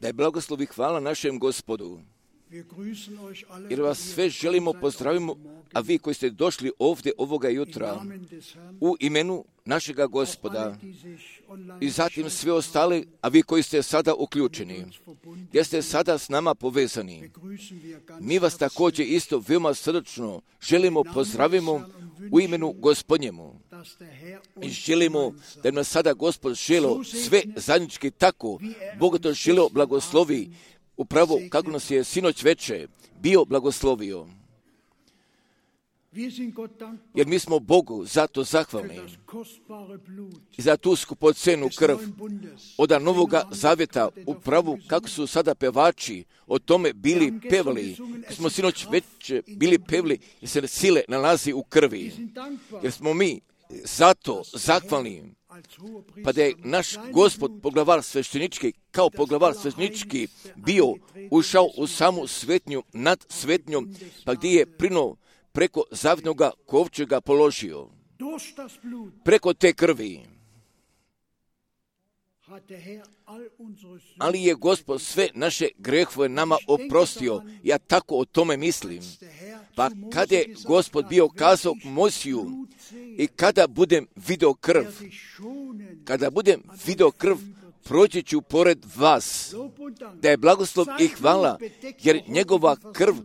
Da je blagoslov i hvala našem Gospodu. Jer vas sve želimo pozdravimo, a vi koji ste došli ovdje ovoga jutra u imenu našega Gospoda i zatim sve ostale, a vi koji ste sada uključeni, gdje ste sada s nama povezani. Mi vas također isto veoma srdačno želimo pozdravimo u imenu Gospodnjemu. I želimo da nas sada Gospod želo sve zajednički tako, Bog to želo blagoslovi, upravo kako nas je sinoć veče bio blagoslovio. Jer mi smo Bogu zato zahvalni i za tu skupocenu krv od Novoga Zavjeta, upravo kako su sada pevači o tome bili pevali, smo sinoć već bili pevali i se sile nalazi u krvi. Jer smo mi zato zahvalni, pa da je naš Gospod poglavar sveštenički, kao poglavar sveštenički bio ušao u samu svetnju nad svetnjom, pa gdje je preko zavjetnoga kovčega položio. Preko te krvi. Ali je Gospod sve naše grehove nama oprostio. Ja tako o tome mislim. Pa kada je Gospod bio kazao Mojsiju i kada budem video krv, proći ću pored vas. Da je blagoslov i hvala, jer njegova krv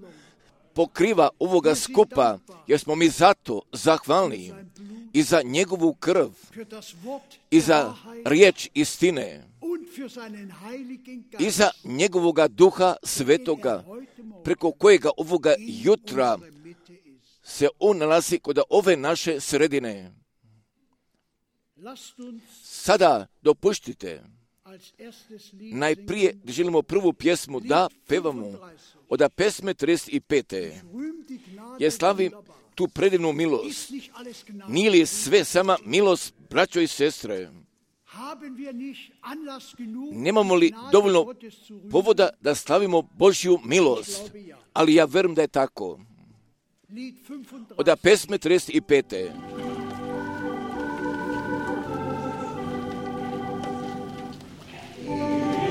pokriva ovoga skupa, jer smo mi zato zahvalni i za njegovu krv i za riječ istine i za njegovoga duha svetoga, preko kojega ovoga jutra se on nalazi kod ove naše sredine. Sada dopuštite, najprije želimo prvu pjesmu da pevamo od pesme 35. Ja slavim tu predivnu milost. Nije li sve sama milost, braćo i sestre? Nemamo li dovoljno povoda da slavimo Božju milost? Ali ja verujem da je tako. Od pesme 35. Yeah.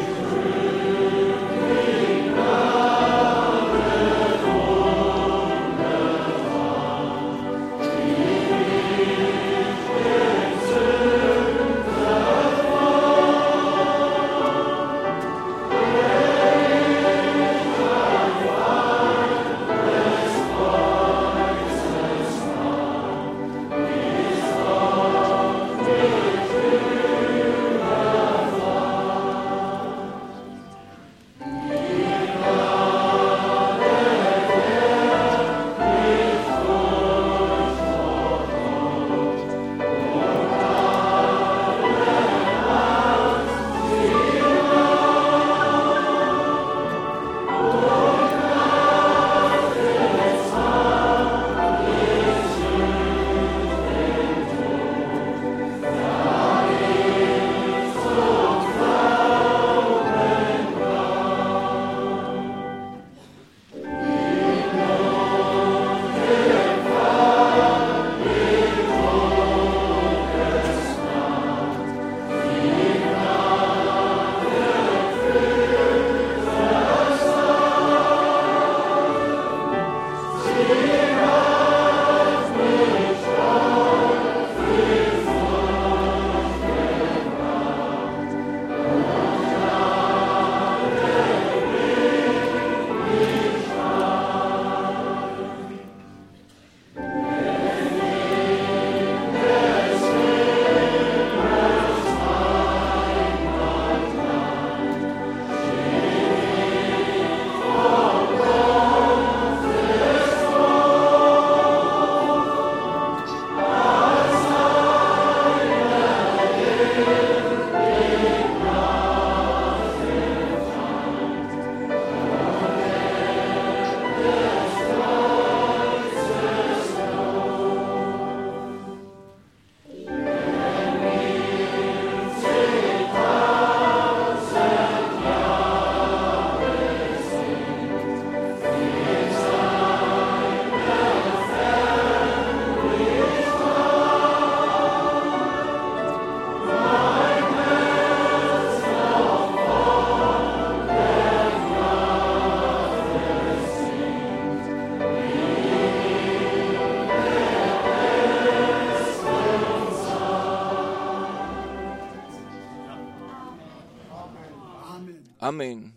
Amen.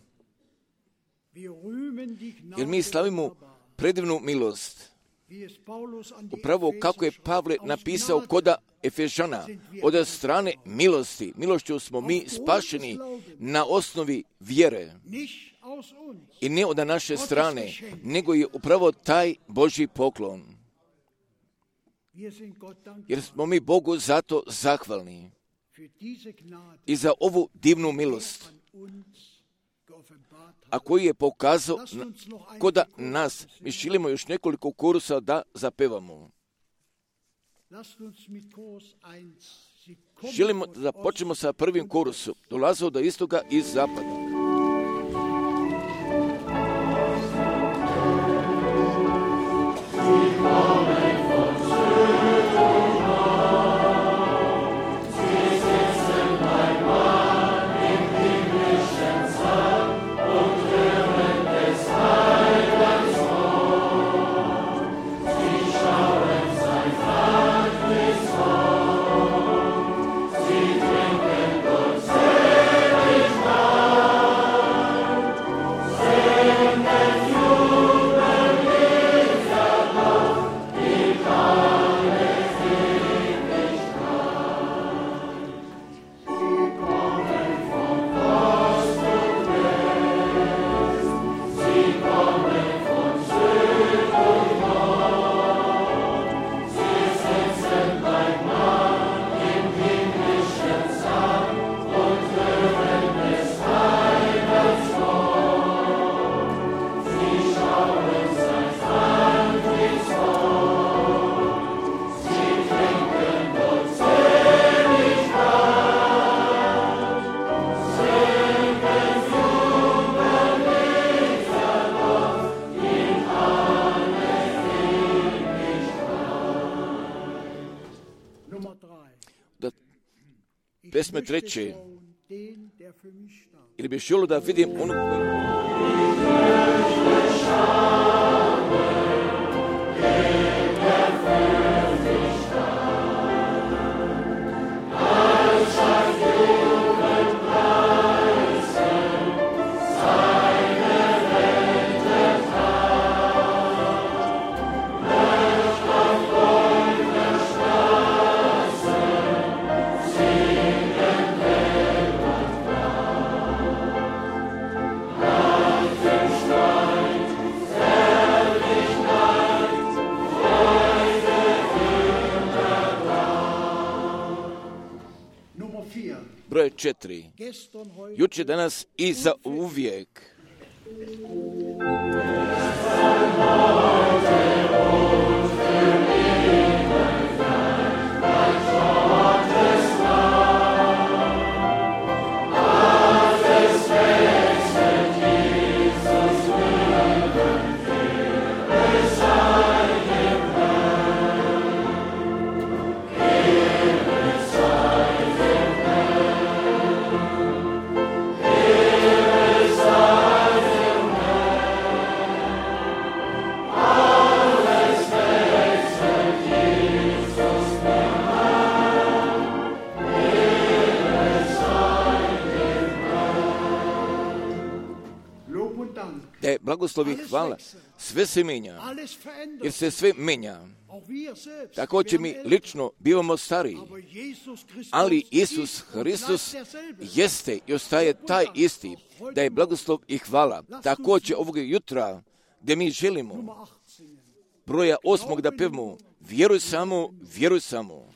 Jer mi slavimo predivnu milost. Upravo kako je Pavle napisao koda Efežana, od strane milosti. Milošću smo mi spašeni na osnovi vjere. I ne od naše strane, nego je upravo taj Božji poklon. Jer smo mi Bogu zato zahvalni i za ovu divnu milost, a koji je pokazao koda nas. Mi želimo još nekoliko kursa da zapevamo. Želimo da počnemo sa prvim kursom. Dolazio do istoga i zapada. Pesme treće, ili bi želio da vidim onu broj 4. Juče, danas i za uvijek. Blagoslovi, hvala. Sve se menja, jer se sve menja. Tako će mi lično bivamo stariji, ali Isus Hristos jeste i ostaje taj isti, da je blagoslov i hvala. Tako će ovog jutra, gdje mi želimo, broja 8. da pevamo, vjeruj samo, vjeruj samo.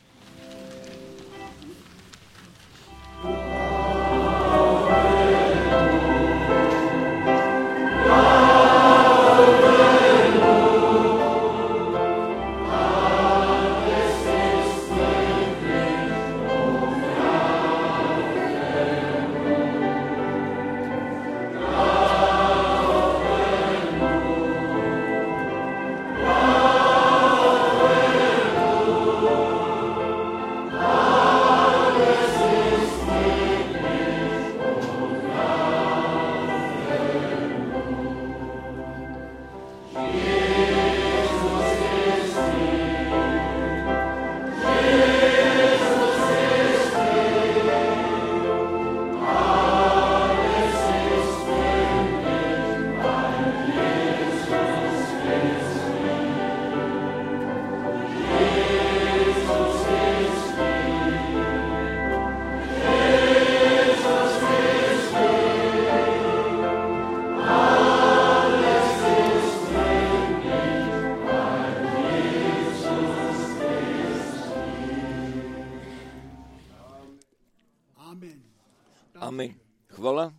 Amen. Hvala.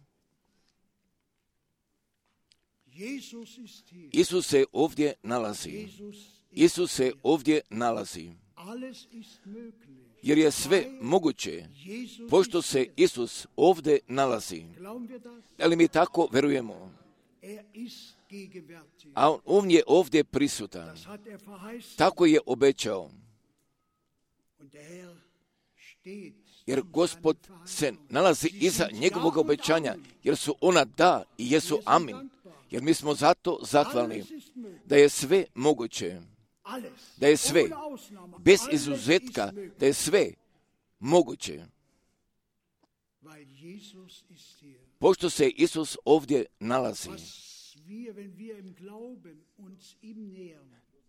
Isus se ovdje nalazi. Isus se ovdje nalazi. Jer je sve moguće, pošto se Isus ovdje nalazi. Ali mi tako verujemo. A on je ovdje prisutan. Tako je obećao. Jer Gospod se nalazi iza njegovog obećanja, jer su ona da i jesu amin. Jer mi smo zato zahvalni da je sve moguće, da je sve, bez izuzetka, da je sve moguće. Pošto se Isus ovdje nalazi.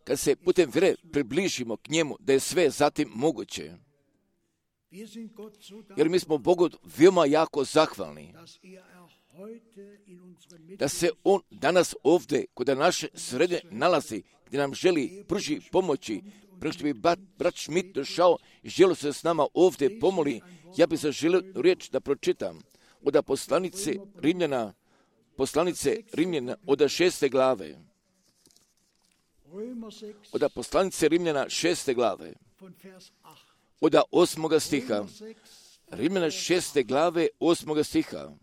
Kad se putem vjere približimo k njemu, da je sve zatim moguće. Jer mi smo Bogu veoma jako zahvalni da se on danas ovdje kod naše srednje nalazi, gdje nam želi pruži pomoći. Prije što bi brat Schmidt došao i želio se s nama ovdje pomoli, ja bih zaželio riječ da pročitam od poslanice Rimljana od 6. glave. Od poslanice Rimljana 6. glave. Od 8. stiha. Rimljana 6. glave 8. stiha.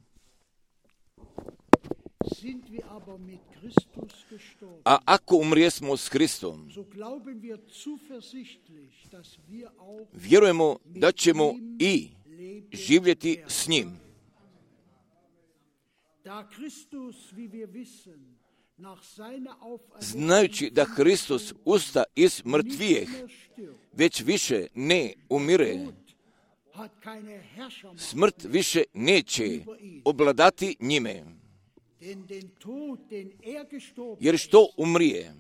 A ako umrijesmo s Kristom, vjerujemo da ćemo i živjeti s njim. Znajući da Hristos usta iz mrtvijeh, već više ne umire, smrt više neće obladati njime. Jer što umrije,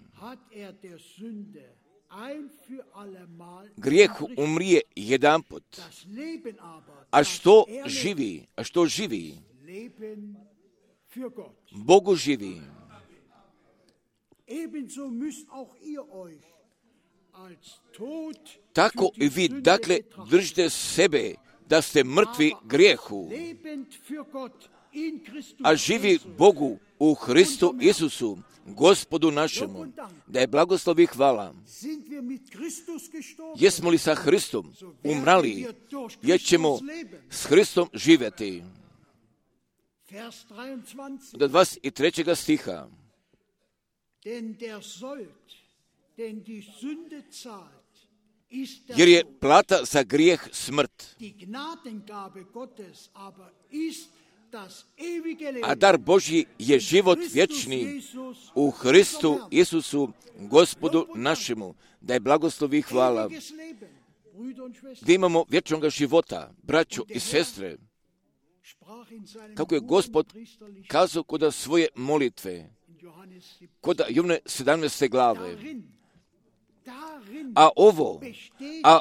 grijehu umrije jedanput, a što živi, Bogu živi. Tako i vi, dakle, držite sebe da ste mrtvi grijehu, a živi Bogu u Hristu Isusu, Gospodu našemu. Da je blagoslov i hvala. Jesmo li sa Hristom umrali, jer ćemo s Hristom živjeti. Do 23. stiha. Jer je plata za grijeh smrt, a dar Božji je život vječni u Hristu Isusu, Gospodu našemu. Da je blagoslov i hvala. Da imamo vječnog života, braćo i sestre. Kako je Gospod kazao kod svoje molitve, kod Jovne 17. glave. A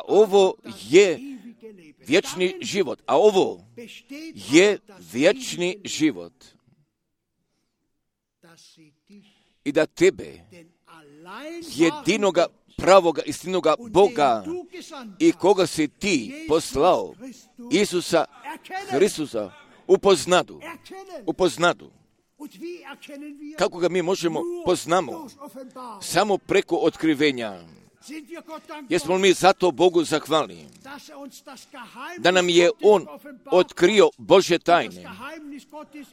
ovo je vječni život. A ovo je vječni život. I da tebe, jedinoga pravoga istinoga Boga i koga si ti poslao, Isusa Hristusa, upoznadu. Kako ga mi možemo poznamo? Samo preko otkrivenja. Jesmo li mi zato Bogu zahvalni? Da nam je On otkrio Božje tajne.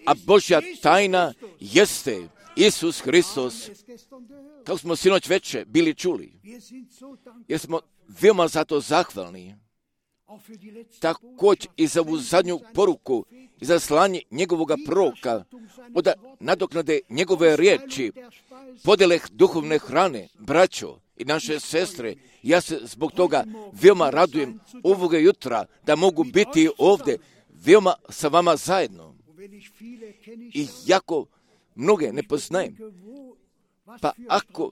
A Božja tajna jeste Isus Hristos. Kako smo sinoć veče bili čuli. Jer smo veoma zato zahvalni. Također i za ovu zadnju poruku i za slanje njegovoga proroka, od nadoknade njegove riječi, podeleh duhovne hrane, braćo i naše sestre. Ja se zbog toga veoma radujem ovoga jutra da mogu biti ovdje veoma sa vama zajedno. I jako mnoge ne poznajem, pa ako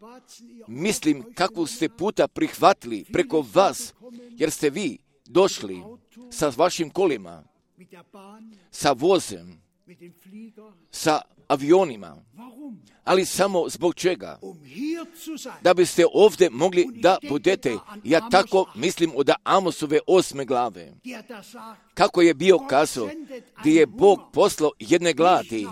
mislim kakvu ste puta prihvatili preko vas, jer ste vi došli sa vašim kolima, sa vozem, sa avionima. Ali samo zbog čega? Da biste ovdje mogli da budete. Ja tako mislim od Amosove 8. glave. Kako je bio kazao, gdje je Bog poslao jedne gladi,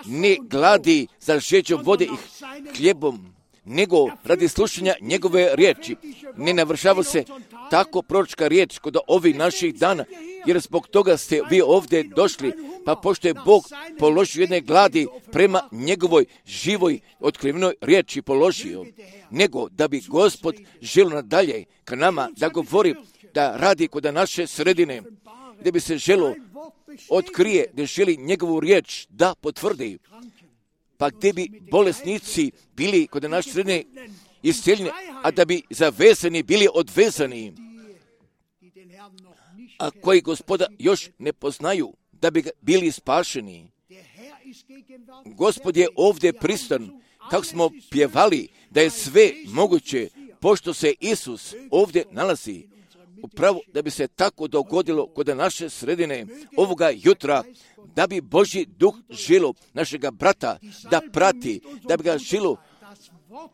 ne gladi za žeđom vode i hljebom, nego radi slušanja njegove riječi. Ne navršava se tako proročka riječ kod ovih naših dana, jer zbog toga ste vi ovdje došli, pa pošto je Bog položio jedne gladi prema njegovoj živoj otkrivenoj riječi položio, nego da bi Gospod želio nadalje ka nama da govori, da radi kod naše sredine, gdje bi se želo otkrije, gdje želi njegovu riječ da potvrdi, pa gdje bi bolesnici bili kod naše sredine iscijeljeni, a da bi zavezani bili odvezani, a koji Gospoda još ne poznaju, da bi bili spašeni. Gospod je ovdje prisutan, kako smo pjevali, da je sve moguće, pošto se Isus ovdje nalazi. Upravo da bi se tako dogodilo kod naše sredine ovoga jutra, da bi Božji duh žilo našega brata da prati, da bi ga žilo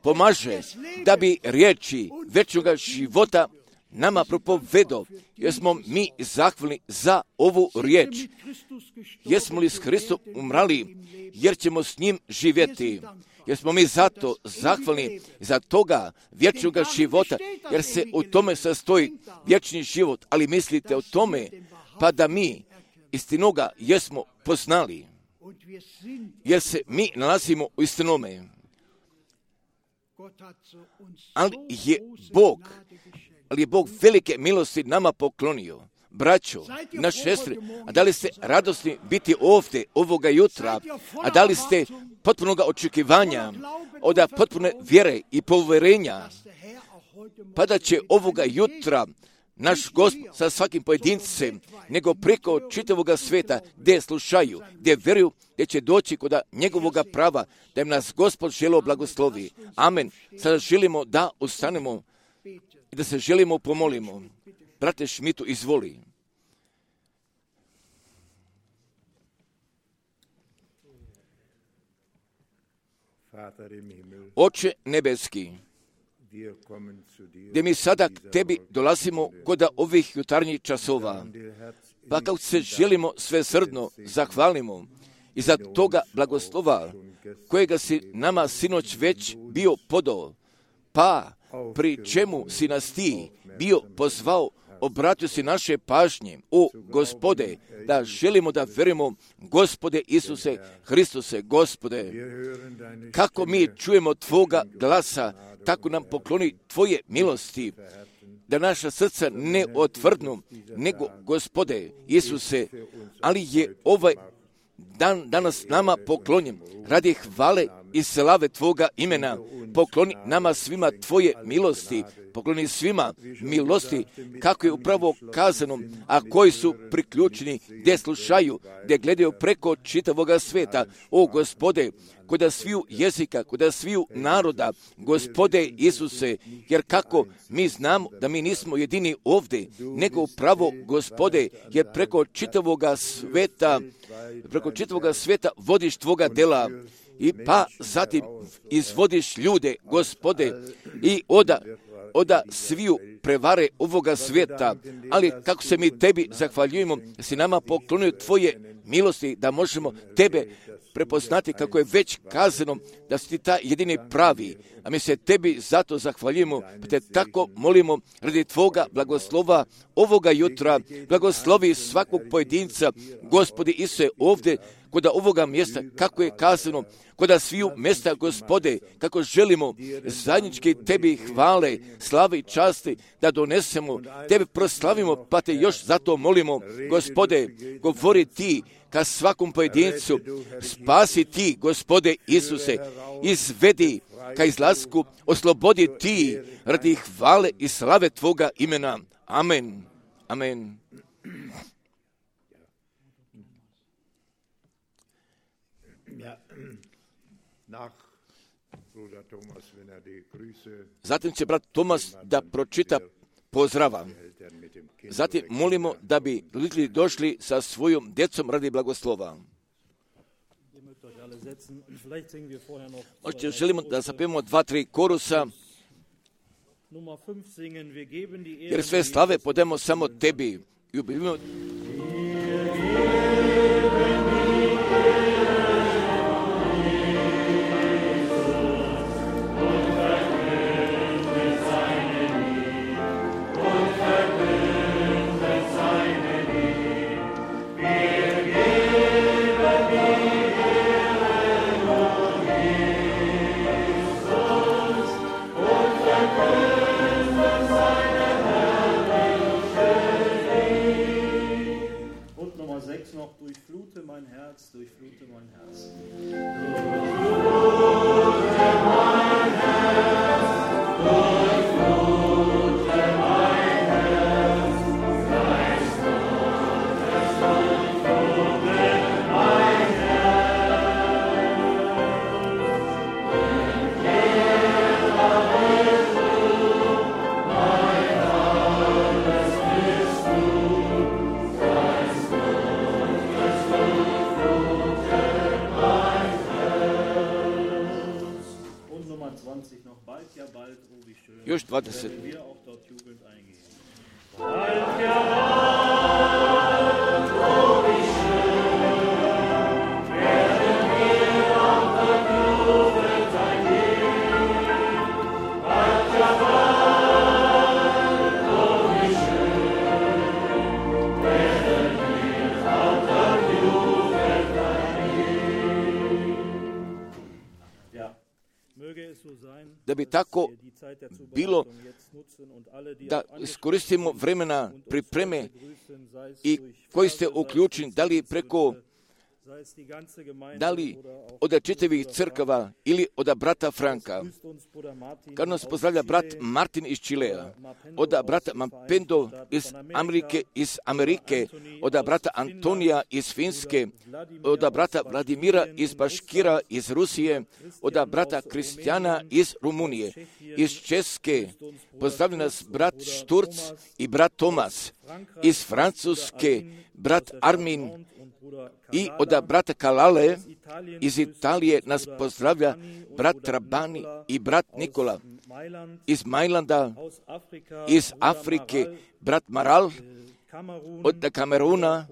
pomaže, da bi riječi večnoga života nama propovedo, jer smo mi zahvalni za ovu riječ. Jesmo li s Hristom umrali, jer ćemo s njim živjeti. Jer smo mi zato zahvalni za toga vječnoga života, jer se u tome sastoji vječni život. Ali mislite o tome, pa da mi istinoga jesmo poznali, jer se mi nalazimo u istinome. Ali je Bog velike milosti nama poklonio. Braćo, naše sestre, a da li ste radosni biti ovdje ovoga jutra, a da li ste potpunoga očekivanja, od potpune vjere i poverenja, pa da će ovoga jutra naš Gospod sa svakim pojedincem, nego preko čitavoga sveta, gdje slušaju, gdje vjeruju, gdje će doći kod njegovoga prava, da im nas Gospod želo blagoslovi. Amen. Sada želimo da ustanemo i da se želimo pomolimo. Brate Šmitu, izvoli. Oče nebeski, gdje mi sada k tebi dolazimo kod ovih jutarnjih časova, pa kako se želimo svesrdno zahvalimo i za toga blagoslova kojega si nama sinoć već bio podao, pa pri čemu si nas ti bio pozvao, obratio si naše pažnje, o Gospode, da želimo da verujemo, Gospode Isuse Hristuse, Gospode, kako mi čujemo Tvoga glasa, tako nam pokloni Tvoje milosti, da naša srca ne otvrdnu, nego, Gospode Isuse, ali je ovaj dan danas nama poklonjen radi hvale i slave Tvoga imena. Pokloni nama svima Tvoje milosti, pokloni svima milosti, kako je upravo kazano, a koji su priključeni, gdje slušaju, gdje gledaju preko čitavoga sveta. O Gospode, kod sviju jezika, kod sviju naroda, Gospode Isuse, jer kako mi znamo da mi nismo jedini ovdje, nego upravo, Gospode, jer preko čitavoga sveta vodiš Tvoga dela, i pa zatim izvodiš ljude, Gospode, i oda sviju prevare ovoga svijeta, ali kako se mi Tebi zahvaljujemo, da si nama poklonio Tvoje milosti, da možemo Tebe prepoznati, kako je već kazano, da si Ti ta jedini pravi, a mi se Tebi zato zahvaljujemo, pa Te tako molimo radi Tvoga blagoslova ovoga jutra, blagoslovi svakog pojedinca, Gospodi Isuse, ovdje kod ovoga mjesta, kako je kazano, kod sviju mjesta, Gospode, kako želimo zajednički Tebi hvale, slave i časti da donesemo, Tebe proslavimo, pa Te još zato molimo, Gospode, govori Ti ka svakom pojedincu, spasi Ti, Gospode Isuse, izvedi ka izlasku, oslobodi Ti radi hvale i slave Tvoga imena. Amen. Amen. Zatim će brat Tomas da pročita pozdrava. Zatim molimo da bi ljudi došli sa svojom djecom radi blagoslova. Želimo da zapevamo 2-3 korusa, jer sve slave podemo samo tebi. Ljubimo. Durchflute mein Herz, durchflute mein Herz. Još 20. Da bi tako bilo da iskoristimo vremena pripreme i koji ste uključeni, da li od čitavih crkava ili od brata Franka. Kad nas pozdravlja brat Martin iz Čilea, od brata Mampendo iz Amerike, od brata Antonija iz Finske, od brata Vladimira iz Baškira iz Rusije, od brata Kristijana iz Rumunije, iz Česke, pozdravlja nas brat Šturc i brat Tomas, iz Francuske, brat Armin, i od brata Kalale iz Italije nas pozdravlja brat Trabani i brat Nikola, iz Majlanda, iz Afrike, brat Maral, od Kameruna,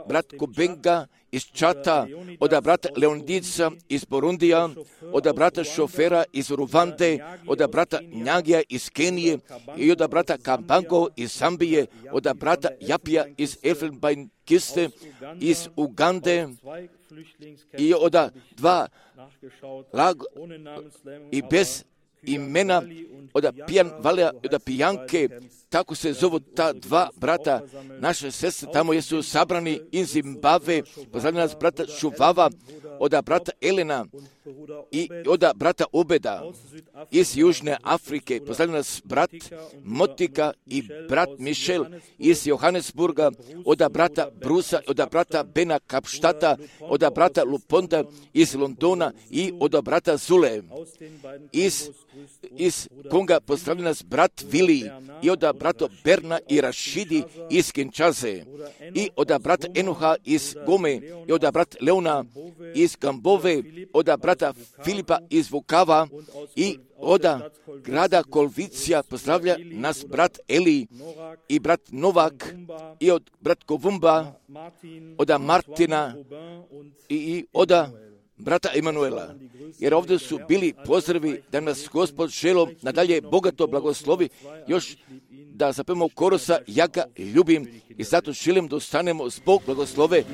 brat Kubenga iz Čata, od brata Leonidica iz Burundija, od brata Šofera iz Ruvande, od brata Njagija iz Kenije i od brata Kambango iz Zambije, od brata Japija iz Elfenbeinkiste iz Ugande i od dva i bez imena od Pijan Valea i od Pijanke, tako se zovu ta dva brata, naše sestre tamo jesu sabrani iz Zimbabve, pozdravlja nas brata Šuvava, od brata Elena i od brata Obeda iz Južne Afrike, pozdravlja nas brat Motika i brat Mišel iz Johannesburga, od brata Brusa, od brata Bena Kapštata, od brata Luponda iz Londona i od brata Zule iz Konga, pozdravlja nas brat Vili i od brata Berna i Rašidi iz Kinčaze i od brata Enoha iz Gome i od brata Leona iz Gambove, od brata Filipa iz Vukava i od grada Kolvicija pozdravlja nas brat Eli i brat Novak i od brat Kovumba, od Martina i od brata Emanuela. Jer ovdje su bili pozdravi da nas Gospod želom nadalje bogato blagoslovi, još da zapevamo korusa Ja ga ljubim i zato želim da ostanemo zbog blagoslove.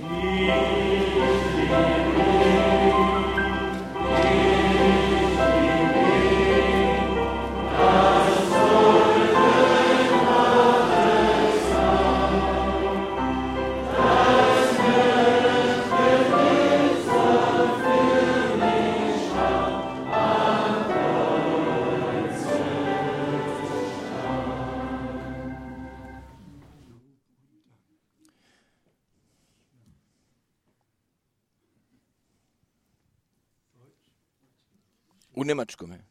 U Njemačkome.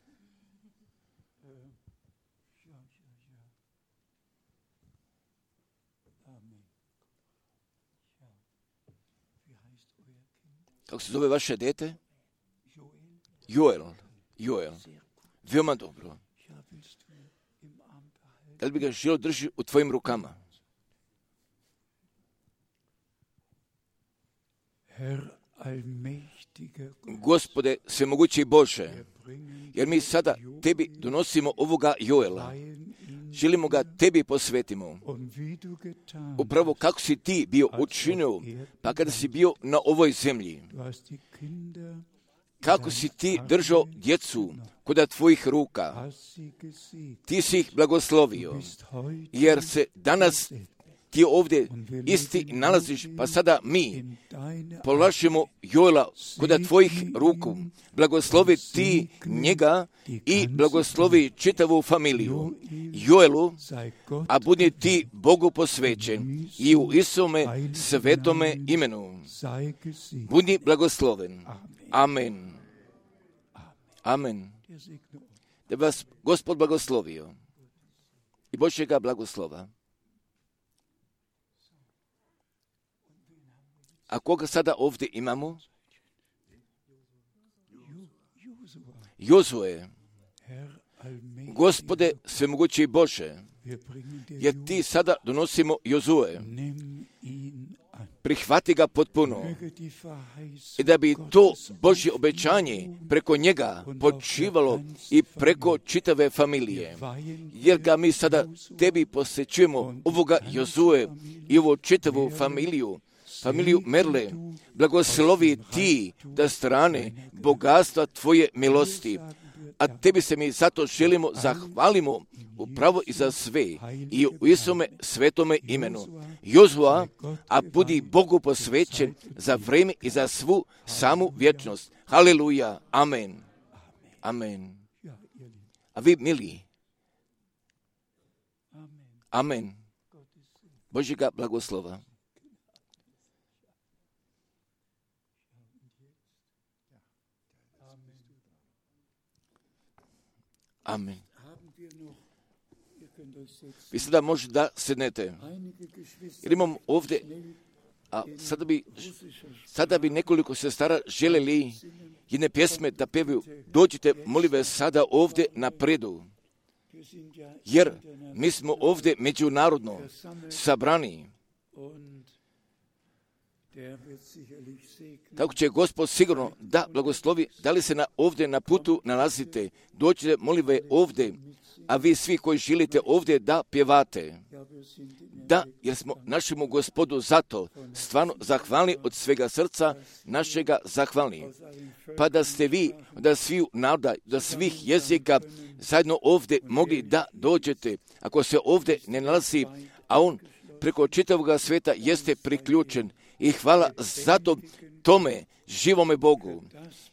Kako se zove vaše dete? Joel. Veoma dobro. Da li bi ga želio drži u tvojim rukama? Gospode, svemogući Bože, jer mi sada tebi donosimo ovoga Joela. Želimo ga tebi posvetimo. Upravo kako si ti bio učinio, pa kada si bio na ovoj zemlji. Kako si ti držao djecu kod tvojih ruka. Ti si ih blagoslovio, jer se danas ti ovdje isti nalaziš, pa sada mi polažemo Joela kod tvojih ruku. Blagoslovi ti njega i blagoslovi čitavu familiju. Joelu, a budi ti Bogu posvećen i u Isome svetome imenu. Budi blagosloven. Amen. Amen. Da vas Gospod blagoslovio i Božjega blagoslova. A koga sada ovdje imamo? Jozue. Gospode, svemogući Bože, jer ti sada donosimo Jozue. Prihvati ga potpuno i da bi to Božje obećanje preko njega počivalo i preko čitave familije. Jer ga mi sada tebi posvećujemo ovoga Jozue i ovu čitavu familiju Merle, blagoslovi ti da strane bogatstva tvoje milosti, a tebi se mi zato želimo zahvalimo upravo i za sve i u Isome svetome imenu. Jozua, a budi Bogu posvećen za vrijeme i za svu samu vječnost. Haleluja, amen. Amen. A vi, mili, amen. Božjega blagoslova. Amen. Vi sada možda sednete. Jer imam ovdje, a sada bi nekoliko sestara želeli jedne pjesme da pevaju. Dođite, molim vas, sada ovdje napredu. Jer mi smo ovdje međunarodno sabrani. Tako će Gospod sigurno da blagoslovi, da li se ovdje na putu nalazite, dođite, molim vas, ovdje, a vi svi koji želite ovdje da pjevate. Da, jer smo našemu Gospodu zato stvarno zahvalni od svega srca našega zahvalni. Pa da ste vi, da svih naroda, da svih jezika zajedno ovdje mogli da dođete. Ako se ovdje ne nalazi, a on preko čitavog svijeta jeste priključen. I hvala zato tome živome Bogu.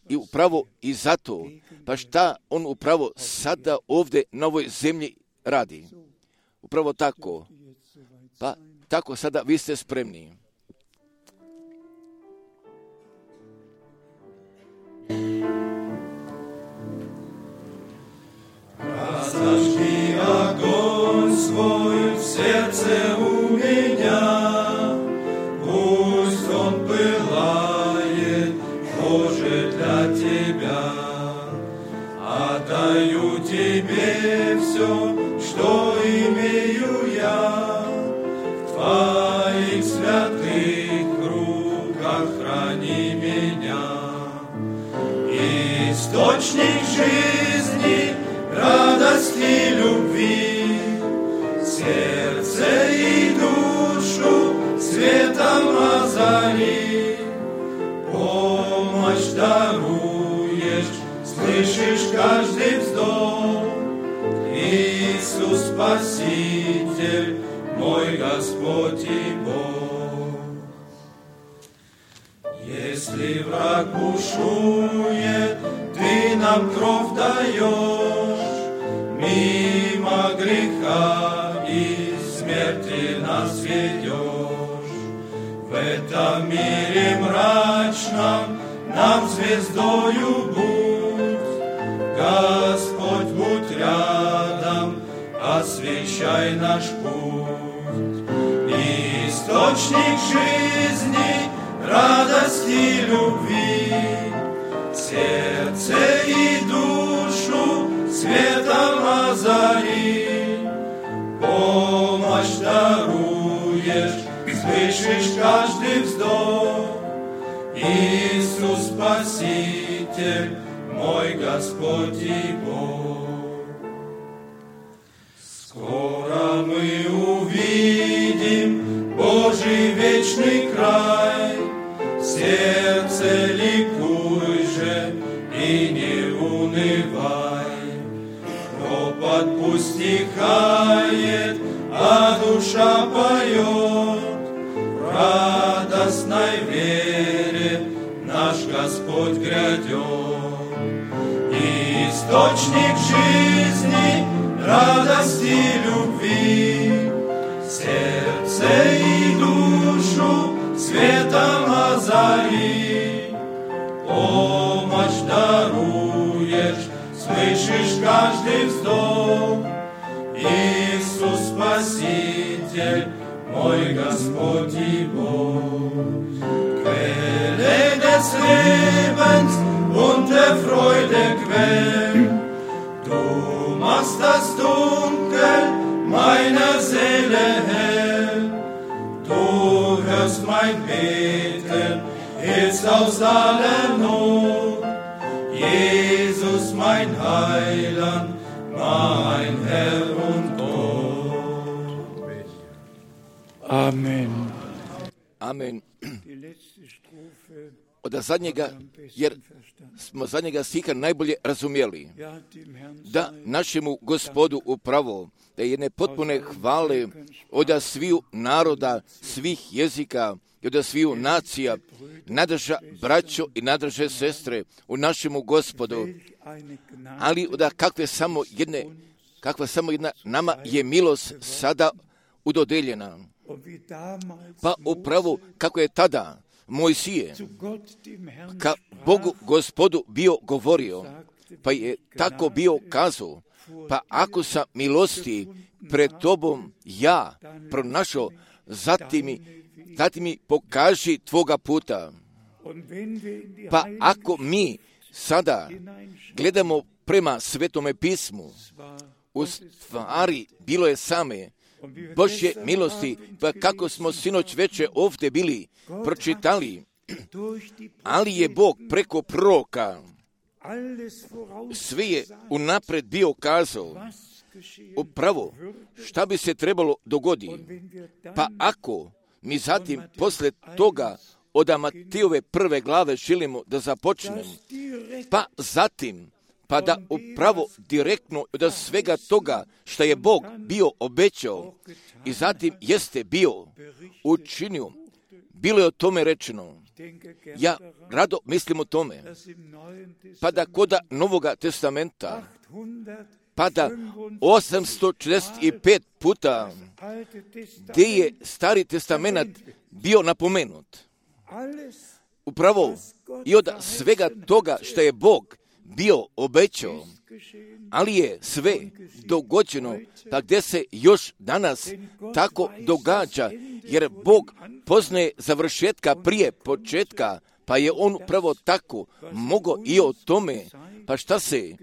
I upravo i zato, pa šta on upravo sada ovdje na ovoj zemlji radi. Upravo tako. Pa tako sada vi ste spremni. Razdaški огонь svoj v srdce u меня. Пусть он пылает, Боже, для Тебя. Отдаю Тебе все, что имею я. В Твоих святых руках храни меня. Источник жизни, радости, любви, сердце и душу светом озари, помощь даруешь, слышишь каждый вздох. Иисус Спаситель, мой Господь и Бог. Если враг бушует, Ты нам кровь даешь, мимо греха и смерти нас ведешь. В этом мире мрачном нам звездою будь, Господь, будь рядом, освещай наш путь. Источник жизни, радости, любви, Slyšiš každý vzdох, Иисус Спаситель, мой Господь и Бог. Скоро мы увидим Божий вечный край, сердце ликуй же и не унывай. Ропот пусть стихает, а душа поет, в радостной вере наш Господь грядет. Источник жизни, радости, любви, сердце и душу светом озари. Помощь даруешь, слышишь каждый вздох. Иисус Спаситель, мой Господь и Bog. Quelle des Lebens und der Freude Quell, du machst das Dunkel meiner Seele hell. Du hörst mein Beten, hilfst aus aller Not. Jesus, mein Heiland, mein Herr und Gott. Amen. Amen. Od zadnjega, jer smo zadnjega stiha najbolje razumjeli, da našemu Gospodu upravo, da jedne potpune hvale od sviju naroda, svih jezika i od sviju nacija, nadrža braćo i nadrže sestre u našemu Gospodu, ali da kakva samo jedna nama je milost sada udodeljena. Pa upravo kako je tada Mojsije ka Bogu Gospodu bio govorio, pa je tako bio kazao, pa ako sam milosti pred tobom ja pronašao, zatim mi pokaži tvoga puta. Pa ako mi sada gledamo prema Svetome pismu, u stvari bilo je same Božje milosti, pa kako smo sinoć veče ovdje bili pročitali, ali je Bog preko proroka sve je unapred bio kazao upravo šta bi se trebalo dogoditi. Pa ako mi zatim posle toga od Matejove 1. glave želimo da započnemo, pa zatim pa da upravo direktno od svega toga što je Bog bio obećao i zatim jeste bio učinio, bilo je o tome rečeno. Ja rado mislim o tome, pa da kod Novoga testamenta, pa da 845 puta gdje je Stari testament bio napomenut. Upravo i od svega toga što je Bog bio obećao, ali je sve dogođeno, pa gdje se još danas tako događa, jer Bog poznaje završetka prije početka, pa je on upravo tako mogao i o tome, pa šta se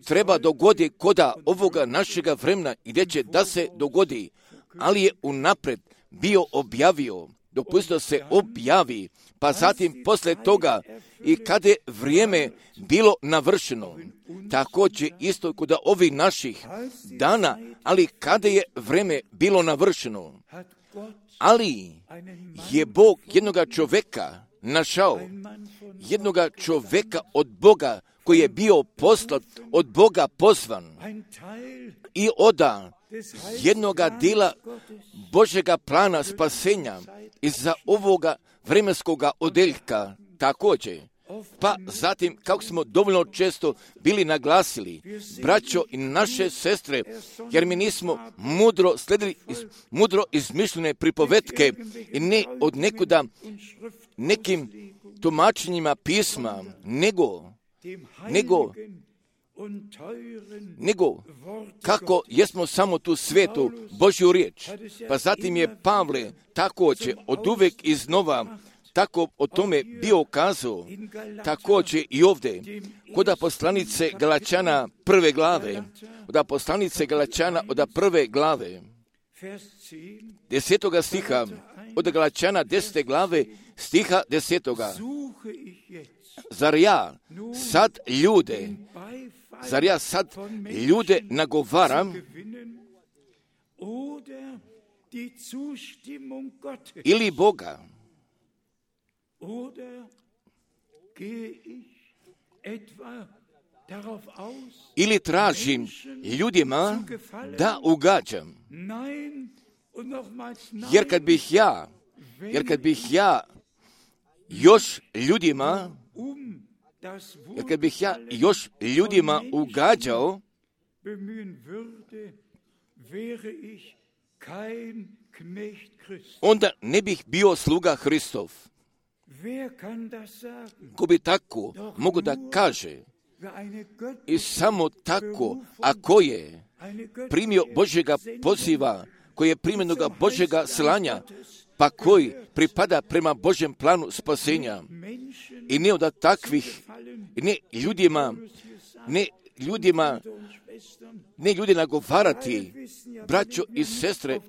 treba dogoditi koda ovoga našega vremena i gdje će da se dogodi, ali je unapred bio objavio, dopustio se objavi, pa zatim posle toga i kada je vrijeme bilo navršeno, također isto kod ovih naših dana, ali kada je vrijeme bilo navršeno, ali je Bog jednoga čovjeka našao, jednoga čovjeka od Boga koji je bio poslat, od Boga pozvan i oda jednoga dela Božjega plana spasenja iza ovoga vremenskoga odeljka također. Pa zatim, kako smo dovoljno često bili naglasili, braćo i naše sestre, jer mi nismo mudro sledili mudro izmišljene pripovetke i ne od nekuda nekim tumačenjima pisma, nego kako jesmo samo tu svetu Božju riječ. Pa zatim je Pavle također od uvek iznova tako o tome bio kazao, također i ovdje, kod poslanice Galačana 1. glave, od poslanice Galačana od 1. glave, 10. stiha, od Galačana 10. glave stiha 10. Zar ja sad ljude nagovaram ili Boga? Ili tražim ljudima da ugađam? Jer kad bih ja još ljudima ugađao, onda ne bih bio sluga Hristov. Ko bi tako mogu da kaže? I samo tako, ako je primio Božjega poziva, koji je primjenoga Božjega slanja, pa koji pripada prema Božjem planu spasenja, i ne od takvih, ne ljudi nagovarati, braćo i sestre,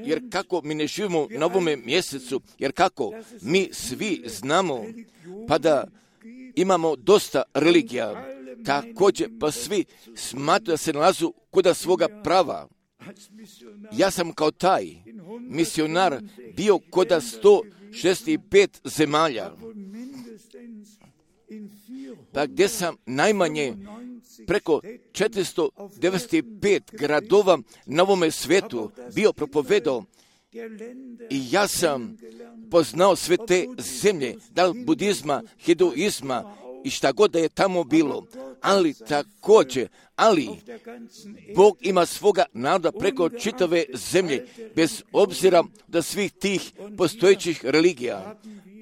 jer kako mi ne živimo na ovome mjesecu, jer kako mi svi znamo, pa da imamo dosta religija, također pa svi smatruju da se nalazu kod svoga prava. Ja sam kao taj misionar bio kod 165 zemalja, pa gdje sam najmanje preko 495 gradova na ovome svijetu bio propovedao, i ja sam poznao sve te zemlje, da li budizma, hinduizma i šta god da je tamo bilo, ali također, Bog ima svoga naroda preko čitave zemlje, bez obzira da svih tih postojećih religija.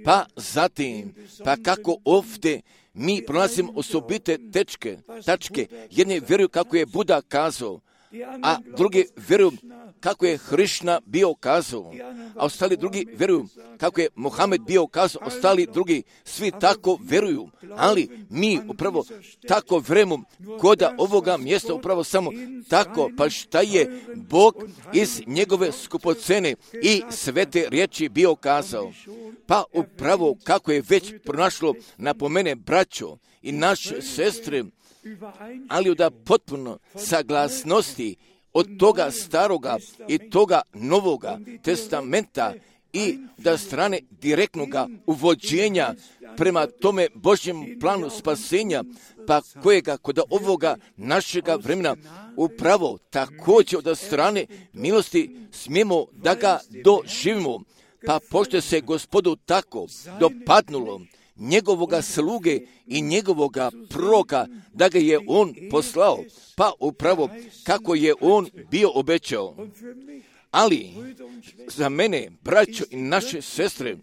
Pa zatim, pa kako ovdje mi pronalazimo osobite tačke, jedni vjeruju kako je Buda kazao, a drugi vjeruju kako je Hrišna bio kazao, a ostali drugi vjeruju kako je Mohamed bio kazao, ostali drugi svi tako vjeruju, ali mi upravo tako vjerujemo kod ovoga mjesta, upravo samo tako, pa šta je Bog iz njegove skupocene i svete riječi bio kazao, pa upravo kako je već pronašlo napomene braćo i naše sestre, ali da potpuno saglasnosti od toga staroga i toga novoga testamenta i da strane direktnoga uvođenja prema tome Božjem planu spasenja, pa kojega kod ovoga našega vremena upravo također od strane milosti smijemo da ga doživimo, pa pošto se Gospodu tako dopadnulo njegovoga sluge i njegovoga proroka, da ga je on poslao, pa upravo kako je on bio obećao. Ali za mene, braćo i naše sestre,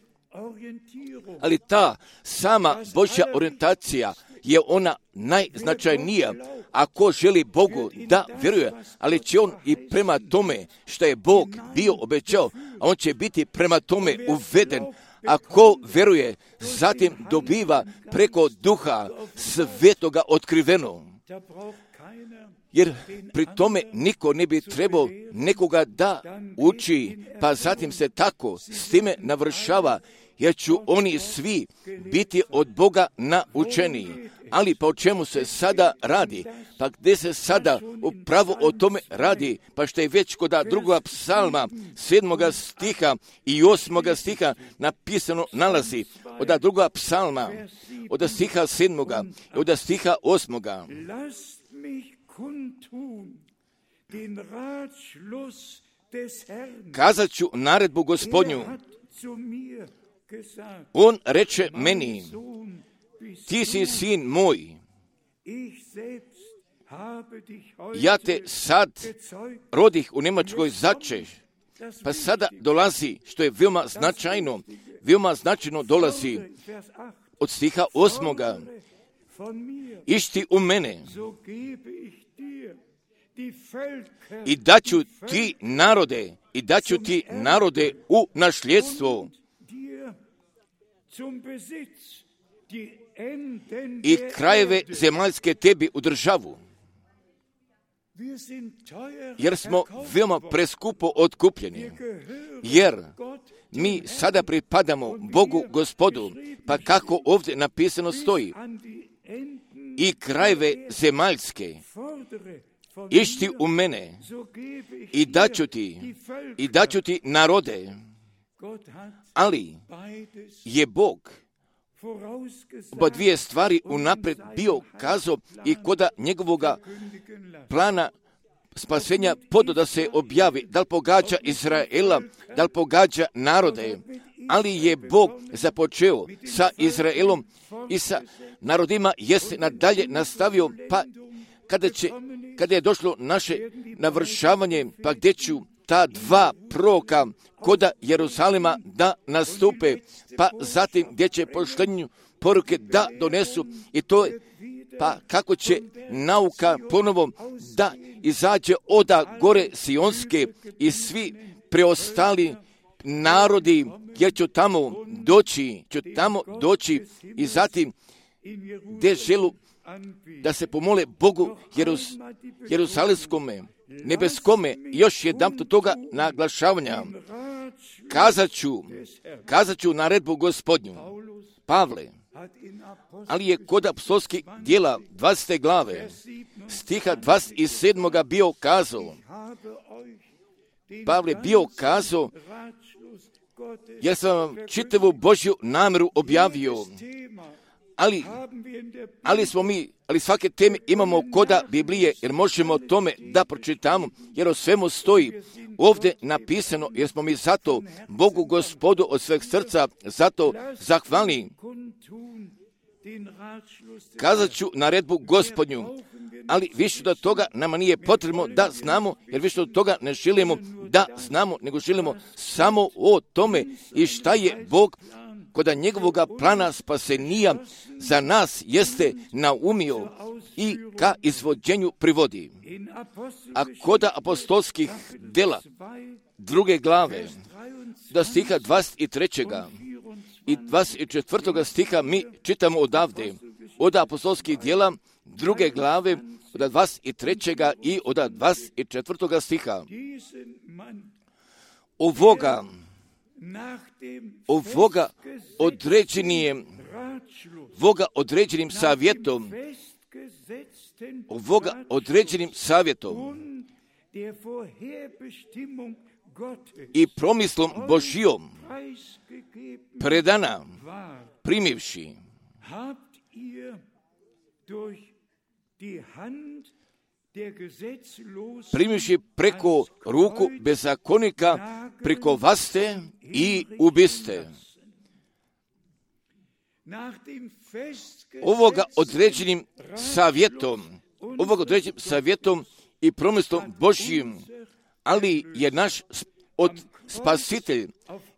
ali ta sama Božja orijentacija je ona najznačajnija. Ako želi Bogu da vjeruje, ali će on i prema tome što je Bog bio obećao, a on će biti prema tome uveden. Ako vjeruje, zatim dobiva preko Duha Svetoga otkriveno. Jer pri tome niko ne bi trebao nekoga da uči, pa zatim se tako s time navršava, jer ću oni svi biti od Boga naučeni. Ali pa o čemu se sada radi? Pa gdje se sada upravo o tome radi? Pa što je već kod drugoga psalma 7. stiha i 8. stiha napisano nalazi. Od drugoga psalma, od stiha 7. i od stiha 8. Kazat ću naredbu Gospodnju. On reče meni, ti si sin moj, ja te sad rodih u Njemačkoj začeš. Pa sada dolazi, što je veoma značajno dolazi od stiha 8. Išti u mene i daću ti narode u nasljedstvo i krajeve zemaljske tebi u državu. jer smo veoma preskupo otkupljeni, jer mi sada pripadamo Bogu Gospodu, pa kako ovdje napisano stoji, i krajeve zemaljske išti u mene i daću ti narode, ali je Bog oba dvije stvari unaprijed bio kazao i koda njegovoga plana spasenja podo da se objavi, da li pogađa Izraela, da li pogađa narode, ali je Bog započeo sa Izraelom i sa narodima, jeste nadalje nastavio, pa kada je došlo naše navršavanje, pa gdje ću ta dva proroka koda Jeruzalema da nastupe, pa zatim gdje će poštenju poruke da donesu, i to je pa kako će nauka ponovo da izađe oda gore Sionske i svi preostali narodi, jer ću tamo doći i zatim gdje želu da se pomole Bogu Jeruzalemskome, nebeskome, još jedan toga naglašavanja. Kazat ću naredbu Gospodnju. Pavle, ali je kod apostolskih djela 20. glave, stiha 27. bio kazao, Pavle bio kazao, jer sam vam čitavu Božju namjeru objavio, ali svake teme imamo koda Biblije, jer možemo o tome da pročitamo, jer o svemu stoji ovdje napisano, jer smo mi zato Bogu Gospodu od sveg srca zato zahvalni. Kazat ću naredbu Gospodnju, ali više od toga nama nije potrebno da znamo, jer više od toga ne želimo da znamo, nego želimo samo o tome i šta je Bog koda njegovoga plana spasenija za nas jeste naumio i ka izvođenju privodi. A koda apostolskih djela 2. glave do stiha 23. i 24. stiha mi čitamo odavde, od apostolskih djela 2. glave od 23. i od 24. stiha. Ovoga određenim savjetom i promislom Božijom predana primivši preko ruku bezakonika prikovaste i ubiste. Ovoga određenim savjetom i promislom Božjim, ali je naš spasitelj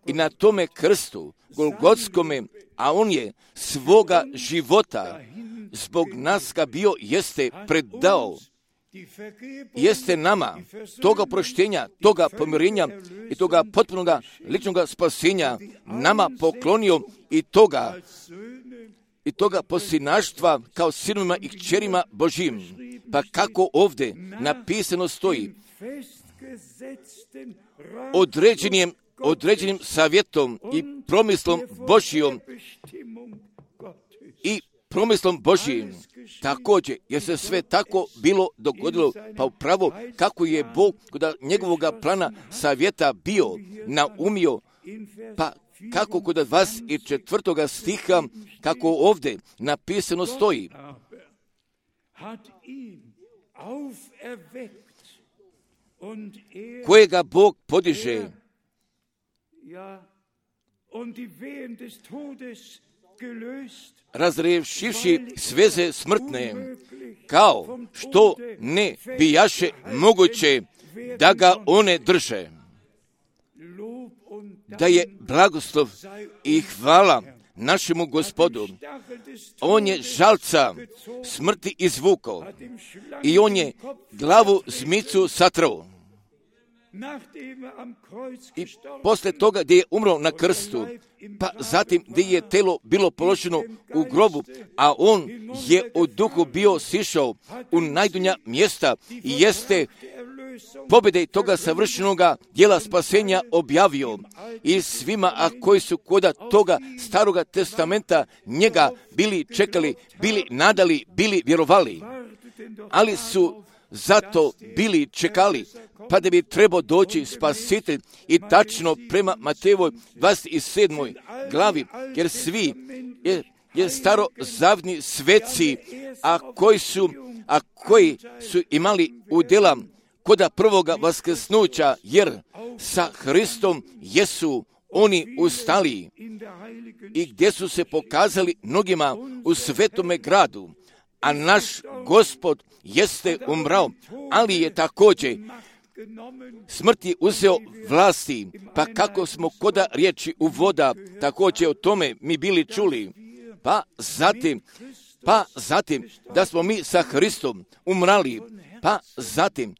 i na tome krstu Golgotskome, a on je svoga života zbog nas ga bio jeste predao, jeste nama toga proštenja, toga pomirenja i toga potpunoga ličnoga spasenja nama poklonio i toga posinaštva kao sinovima i kćerima Božjim. Pa kako ovdje napisano stoji, određenim savjetom i promislom Božjom i promislom Božjim. Također, jer se sve tako bilo dogodilo, pa upravo kako je Bog kod njegovoga plana savjeta bio naumio, pa kako kod 24. stiha, kako ovdje napisano stoji, kojega Bog podiže razriješivši sveze smrtne, kao što ne bijaše moguće da ga one drže. Da je blagoslov i hvala našemu Gospodu. On je žalca smrti izvukao i on je glavu zmicu satrao. I posle toga gdje je umro na krstu, pa zatim gdje je telo bilo položeno u grobu, a on je u duhu bio sišao u najdunja mjesta i jeste pobjede toga savršenoga djela spasenja objavio i svima, a koji su kod toga staroga testamenta njega bili čekali, bili nadali, bili vjerovali, ali su zato bili čekali, pa da bi trebao doći spasitelj i tačno prema Matejevoj 27. glavi, jer svi je starozavni sveci, a koji su imali udjela koda prvoga vaskrsnuća, jer sa Hristom jesu oni ustali i gdje su se pokazali mnogima u svetome gradu, a naš Gospod jeste umrao, ali je također smrt je uzeo vlasti, pa kako smo koda riječi uvoda također o tome mi bili čuli, pa zatim da smo mi sa Hristom umrali, pa zatim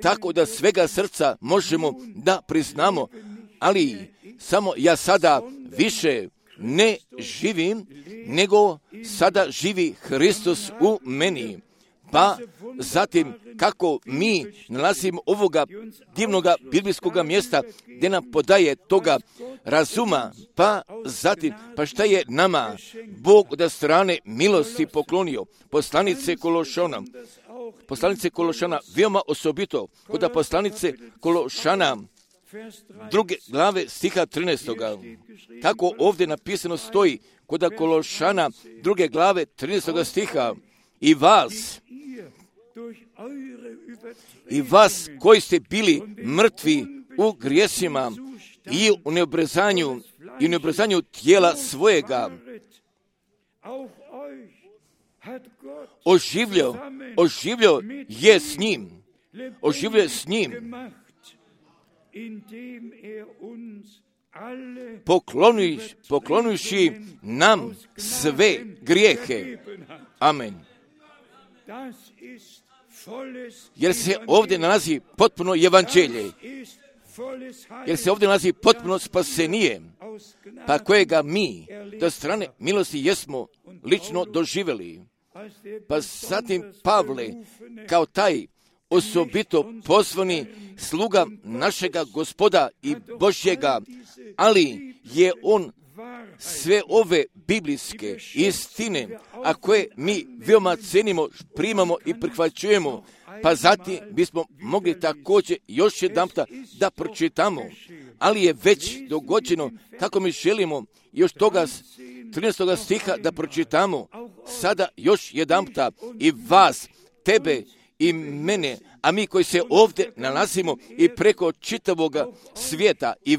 tako da svega srca možemo da priznamo, ali samo ja sada više ne živim, nego sada živi Hristos u meni. Pa zatim kako mi nalazimo ovoga divnoga biblijskoga mjesta gdje nam podaje toga razuma, pa zatim, pa šta je nama Bog od strane milosti poklonio. Poslanice Kološana, veoma osobito, kod poslanice Kološana, 2. glave stiha 13. Tako ovdje napisano stoji, kod Kološana 2. glave 13. stiha, i vas koji ste bili mrtvi u grijesima i u neobrezanju tijela svojega, oživljio je s njim, poklonivši nam sve grijehe. Amen. Jer se ovdje nalazi potpuno evanđelje, jer se ovdje nalazi potpuno spasenije, pa kojega mi do strane milosti jesmo lično doživjeli. Pa zatim Pavle, kao taj osobito pozvani sluga našega Gospoda i Božjega, ali je on sve ove biblijske istine, a koje mi veoma cenimo, primamo i prihvaćujemo, pa zatim bismo mogli također još jedanputa da pročitamo, ali je već dogođeno kako mi želimo još toga 13. stiha da pročitamo sada još jedanputa, i vas, tebe i mene, a mi koji se ovdje nalazimo i preko čitavoga svijeta, i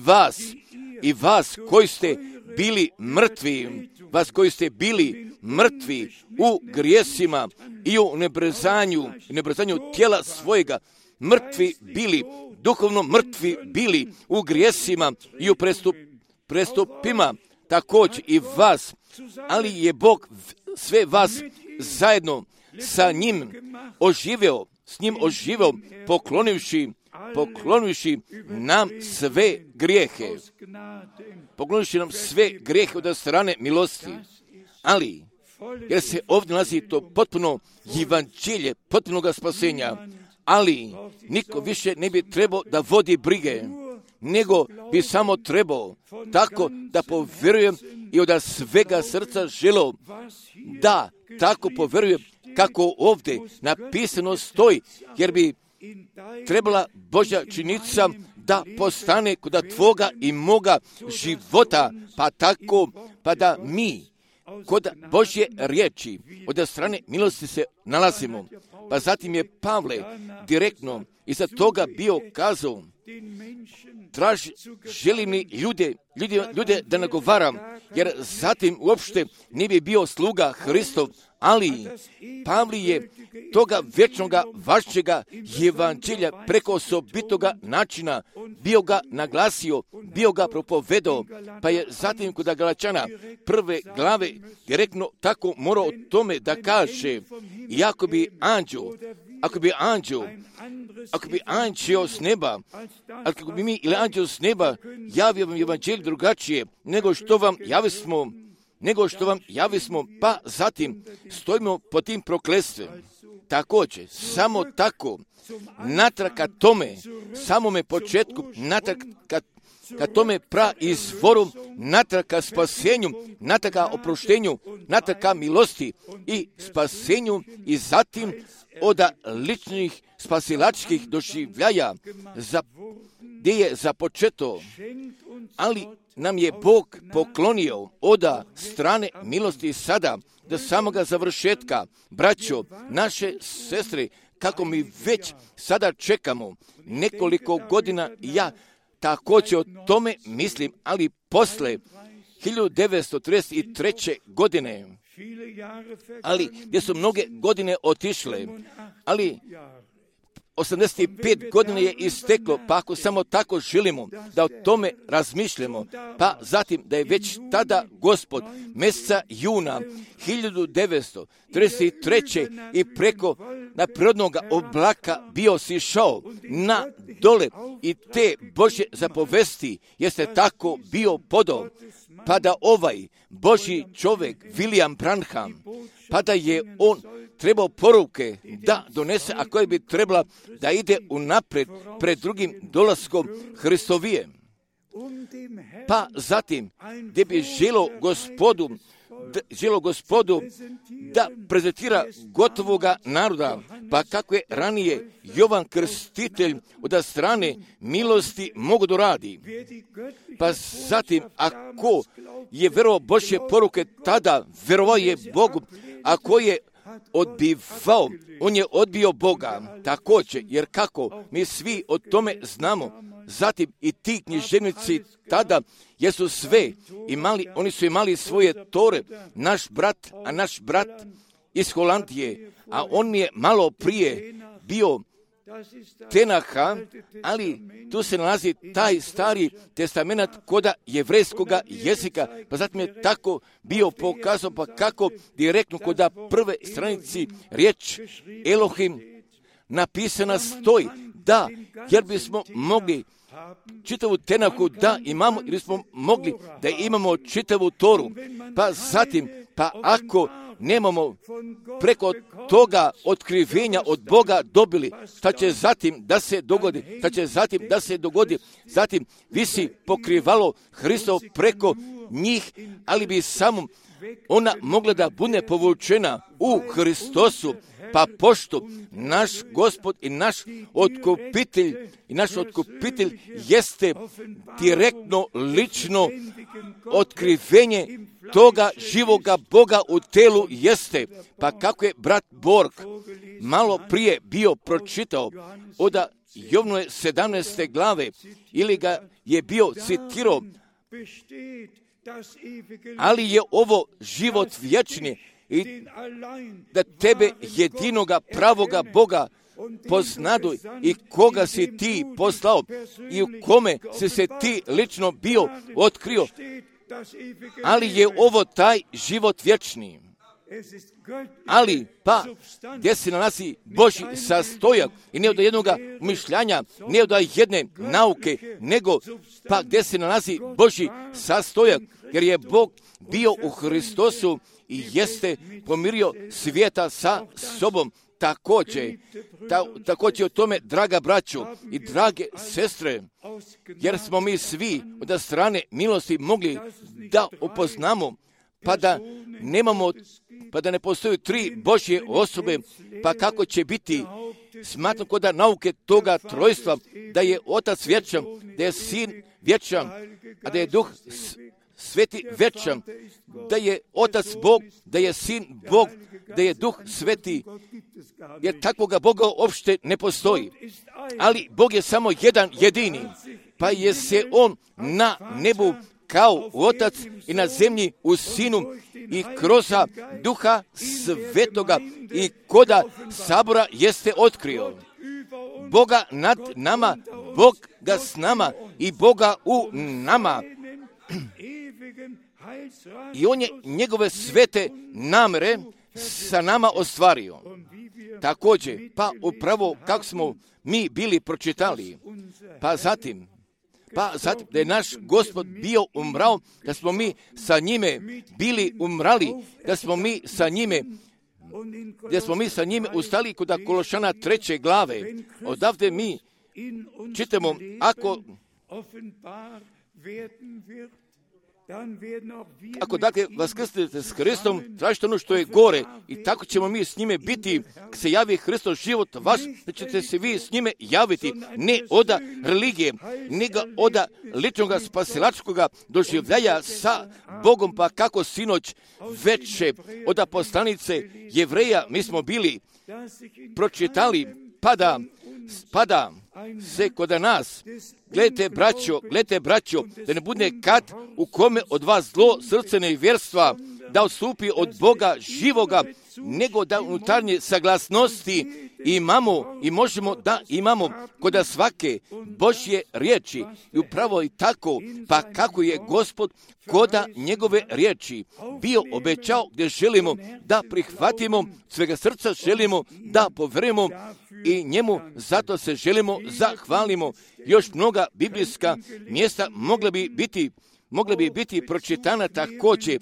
vas koji ste bili mrtvi, u grijesima i u nebrezanju tijela svojega, duhovno mrtvi bili u grijesima i u prestupima, također i vas, ali je Bog sve vas zajedno sa njim oživio, poklonivši nam sve grijehe. Poklonivši nam sve grijehe od strane milosti. Ali, jer se ovdje nalazi to potpuno evanđelje, potpunoga spasenja, ali niko više ne bi trebao da vodi brige, nego bi samo trebao tako da povjerujem i od svega srca želio da tako povjerujem kako ovdje napisano stoji, jer bi trebala Božja činica da postane kod tvoga i moga života, pa tako, pa da mi kod Božje riječi od strane milosti se nalazimo. Pa zatim je Pavle direktno iza toga bio kazao, želim li ljude ljude da nagovaram, jer zatim uopšte ne bi bio sluga Hristov, ali Pavli je toga vječnoga važećega evanđelja preko osobitoga načina bio ga naglasio, bio ga propovedao, pa je zatim kod Galačana 1. glave direktno tako morao o tome da kaže, i ako bi anđeo s neba, ako bi mi ili anđeo s neba javio vam evanđelje drugačije nego što vam javismo, pa zatim stojimo pod tim prokletstvom. Također, samo tako, natrag ka tome, samome početku, natrag ka tome praizvoru, natrag ka spasenju, natrag ka oproštenju, natrag ka milosti i spasenju i zatim od ličnih spasilačkih doživljaja gdje je započeto, ali nam je Bog poklonio od strane milosti sada do samoga završetka. Braćo, naše sestre, kako mi već sada čekamo nekoliko godina, ja također o tome mislim, ali posle 1933. godine, ali gdje su mnoge godine otišle, ali 85 godina je isteklo, pa ako samo tako želimo da o tome razmišljamo, pa zatim da je već tada Gospod mjeseca juna 1933. i preko na prirodnog oblaka bio sišao na dole i te Božje zapovesti jeste tako bio podao, pa da ovaj Božji čovjek William Branham, pa da je on trebao poruke da donese, a koje bi trebala da ide unaprijed pred drugim dolaskom Hristovije. Pa zatim, gdje bi želo Gospodu da prezentira gotovoga naroda, pa kako je ranije Jovan Krstitelj od strane milosti mogu doradi. Pa zatim, ako je verovao Božje poruke, tada verovao je Bogu, ako je odbivao, on je odbio Boga. Također, jer kako mi svi o tome znamo, zatim i ti književnici tada jesu sve imali, oni su imali svoje tore, naš brat iz Holandije, a on mi je malo prije bio Tenaha, ali tu se nalazi taj stari testament koda jevrejskoga jezika, pa zatim je tako bio pokazao, pa kako direktno koda prve stranici riječ Elohim napisana stoji, da, jer bismo mogli čitavu Tenahu da imamo, ili smo mogli da imamo čitavu Toru, pa zatim, pa ako nemamo preko toga otkrivenja od Boga dobili, šta će zatim da se dogodi, zatim visi pokrivalo Hristov preko njih, ali bi samo ona mogla da bude povučena u Hristosu, pa pošto naš Gospod i naš otkupitelj jeste direktno, lično otkrivenje toga živoga Boga u telu jeste, pa kako je brat Borg malo prije bio pročitao od Jovnove 17. glave, ili ga je bio citirao, ali je ovo život vječni i da tebe jedinoga pravoga Boga poznaduj i koga si ti poslao i u kome si se ti lično bio otkrio, ali je ovo taj život vječni. Ali, pa, gdje se nalazi Božji sastojak i ne od jednog mišljanja, ne od jedne nauke, nego, pa, gdje se nalazi Božji sastojak, jer je Bog bio u Hristosu i jeste pomirio svijeta sa sobom. Također o tome, draga braćo i drage sestre, jer smo mi svi od strane milosti mogli da upoznamo, pa da ne postoje tri Božje osobe, pa kako će biti, smatram kod nauke toga trojstva, da je Otac vječan, da je Sin vječan, a da je Duh Sveti vječan, da je Otac Bog, da je Sin Bog, da je Duh Sveti, jer takvoga Boga uopšte ne postoji. Ali Bog je samo jedan jedini, pa je se on na nebu kao Otac i na zemlji u Sinu i kroz Duha Svetoga i koda sabora jeste otkrio. Boga nad nama, Boga s nama i Boga u nama. I on je njegove svete namere sa nama ostvario. Također, pa upravo kako smo mi bili pročitali, pa zatim da je naš Gospod bio umrao, da smo mi sa njime bili umrali, da smo mi sa njime ustali kod Kološana 3. glave. Odavde mi čitamo, ako dakle vaskrsnete s Hristom, tražite ono što je gore i tako ćemo mi s njime biti, kad se javi Hristos život vaš, da ćete se vi s njime javiti, ne od religije, nego od ličnog spasilačkog doživljaja sa Bogom, pa kako sinoć veče od poslanice Jevreja mi smo bili pročitali, pada se kod nas. Gledajte, braćo, da ne bude kad u kome od vas zlo srce nevjerstva da odstupi od Boga živoga, nego da unutarnje saglasnosti imamo i možemo da imamo kod svake Božje riječi. I upravo i tako, pa kako je Gospod koda njegove riječi bio obećao, gdje želimo da prihvatimo, svega srca želimo da povjerujemo i njemu zato se želimo zahvalimo. Još mnoga biblijska mjesta mogla bi biti pročitana također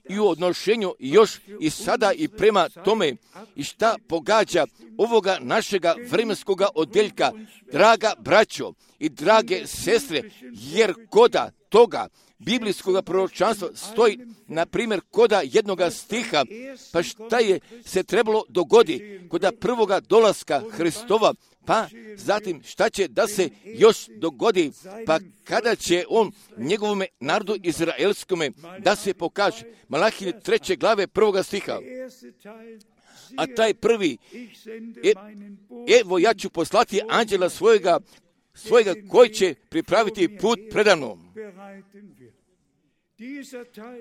i u odnošenju još i sada i prema tome i šta pogađa ovoga našega vremenskoga odjeljka, draga braćo i drage sestre, jer koda toga biblijskog proročanstva stoji, na primjer, koda jednoga stiha, pa šta je se trebalo dogoditi koda prvoga dolaska Hristova, pa zatim šta će da se još dogodi, pa kada će on njegovome narodu izraelskome da se pokaže. Malahije 3. glave 1. stiha. A taj prvi, evo ja ću poslati anđela svojega koji će pripraviti put predamnom.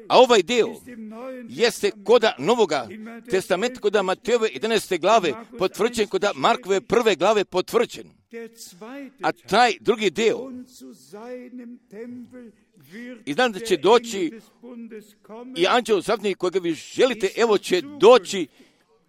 A ovaj dio jeste koda Novoga testamenta, koda Matejove 11. glave potvrđen, koda Markove 1. glave potvrđen. A taj drugi dio, i znam da će doći i anđeo zavjetnik kojega vi želite, evo će doći,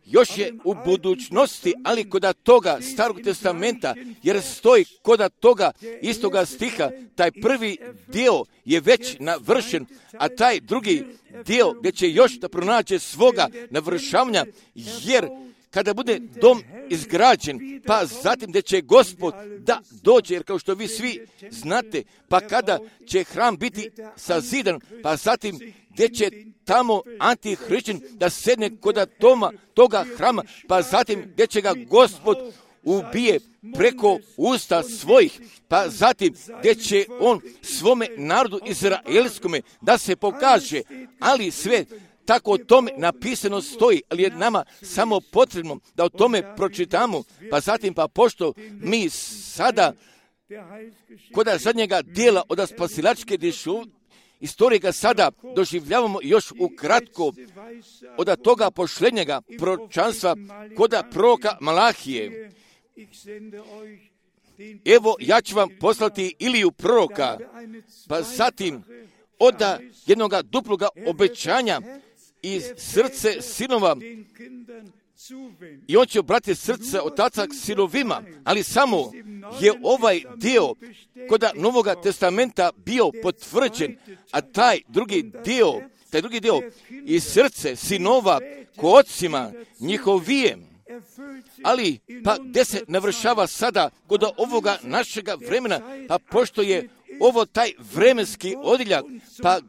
još je u budućnosti, ali koda toga Starog testamenta, jer stoji koda toga istoga stiha, taj prvi dio je već navršen, a taj drugi dio gdje će još da pronađe svoga navršavanja, jer kada bude dom izgrađen, pa zatim gdje će Gospod da dođe, jer kao što vi svi znate, pa kada će hram biti sazidan, pa zatim gdje će tamo antihrišćan da sedne kod toga hrama, pa zatim gdje će ga Gospod ubije preko usta svojih, pa zatim gdje će on svome narodu izraelskome da se pokaže, ali sve tako o tome napisano stoji, ali je nama samo potrebno da o tome pročitamo, pa zatim pa pošto mi sada kod zadnjega dijela od spasilačke istorije ga sada doživljavamo još ukratko od toga pošlenjega proročanstva kod proroka Malahije. Evo ja ću vam poslati Iliju proroka, pa zatim od jednog duploga obećanja iz srce sinova i on će obratiti srce otaca k sinovima, ali samo je ovaj dio kod Novoga testamenta bio potvrđen, a taj drugi dio iz srce sinova k ocima njihovijem. Ali, pa gdje se navršava sada kod ovoga našega vremena, pa pošto je ovo taj vremenski odjeljak, pa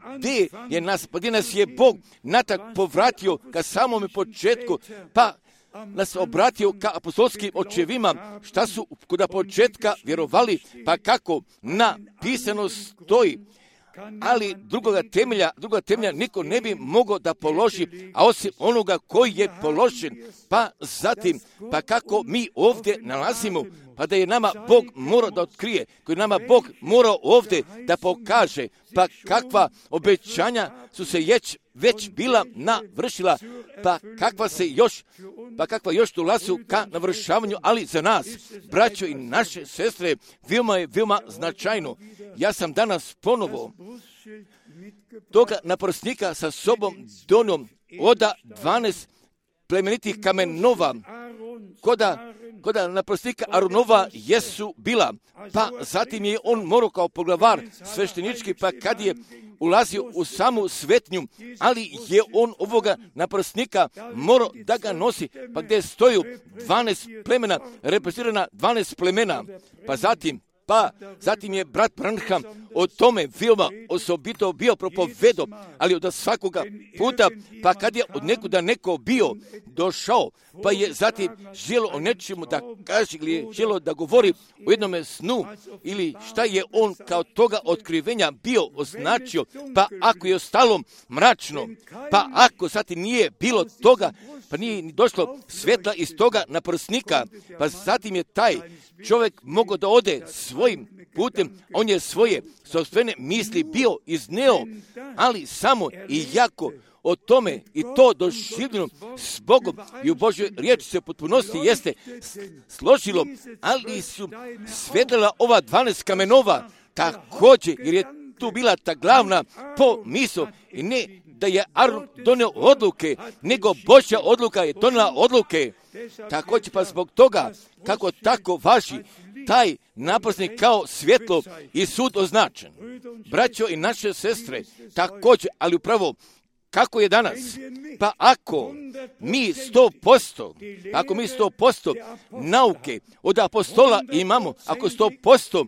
gdje nas je Bog natak povratio ka samome početku, pa nas obratio ka apostolskim očevima, šta su kod početka vjerovali, pa kako napisano stoji, ali druga temelja niko ne bi mogao da položi, a osim onoga koji je položen. Pa zatim, pa kako mi ovdje nalazimo, pa da je nama Bog morao da otkrije, koji nama Bog morao ovdje da pokaže, pa kakva obećanja su se već bila navršila, pa kakva još dolazu ka navršavanju, ali za nas, braćo i naše sestre, veoma značajno. Ja sam danas ponovo toga naprsnika sa sobom donio oda 12 plemenitih kamenova, koda naprsnika Aronova jesu bila, pa zatim je on morao kao poglavar sveštenički, pa kad je ulazio u samu svetnju, ali je on ovoga naprsnika morao da ga nosi, pa gdje stoju 12 plemena, reprezentirana 12 plemena, pa zatim je brat Branham o tome veoma osobito bio propovedao, ali od svakoga puta, pa kad je od nekuda neko bio došao, pa je zatim želo o nečemu da kaže ili je želo da govori o jednome snu ili šta je on kao toga otkrivenja bio označio, pa ako je ostalo mračno, pa ako zatim nije bilo toga, pa nije ni došlo svetla iz toga naprsnika, pa zatim je taj čovjek mogao da ode svojim putem, on je svoje sopstvene misli bio izneo, ali samo i jako o tome i to doživljeno s Bogom i u Božjoj riječi se u potpunosti jeste složilo, ali su svetlela ova 12 kamenova također, jer je tu bila ta glavna pomisao i ne da je Aron donio odluke, nego Božja odluka je donijela odluke. Također pa zbog toga, kako tako važi taj naprsnik kao svjetlo i sud označen. Braćo i naše sestre, također, ali upravo kako je danas? Pa ako mi 100% nauke od apostola imamo, ako 100%,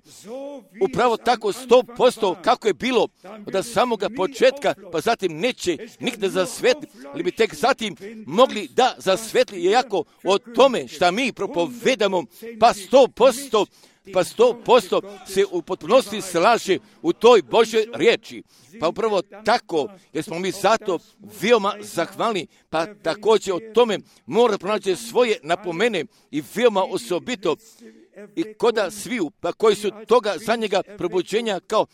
upravo tako 100% kako je bilo od samoga početka, pa zatim neće nikada zasvetli, ali bi tek zatim mogli da zasvetli, iako o tome šta mi propovedamo, pa 100% se u potpunosti slaže u toj Božoj riječi. Pa upravo tako, jer smo mi zato veoma zahvalni, pa također o tome mora pronaći svoje napomene i veoma osobito i koda sviju, pa koji su toga za njega probuđenja kao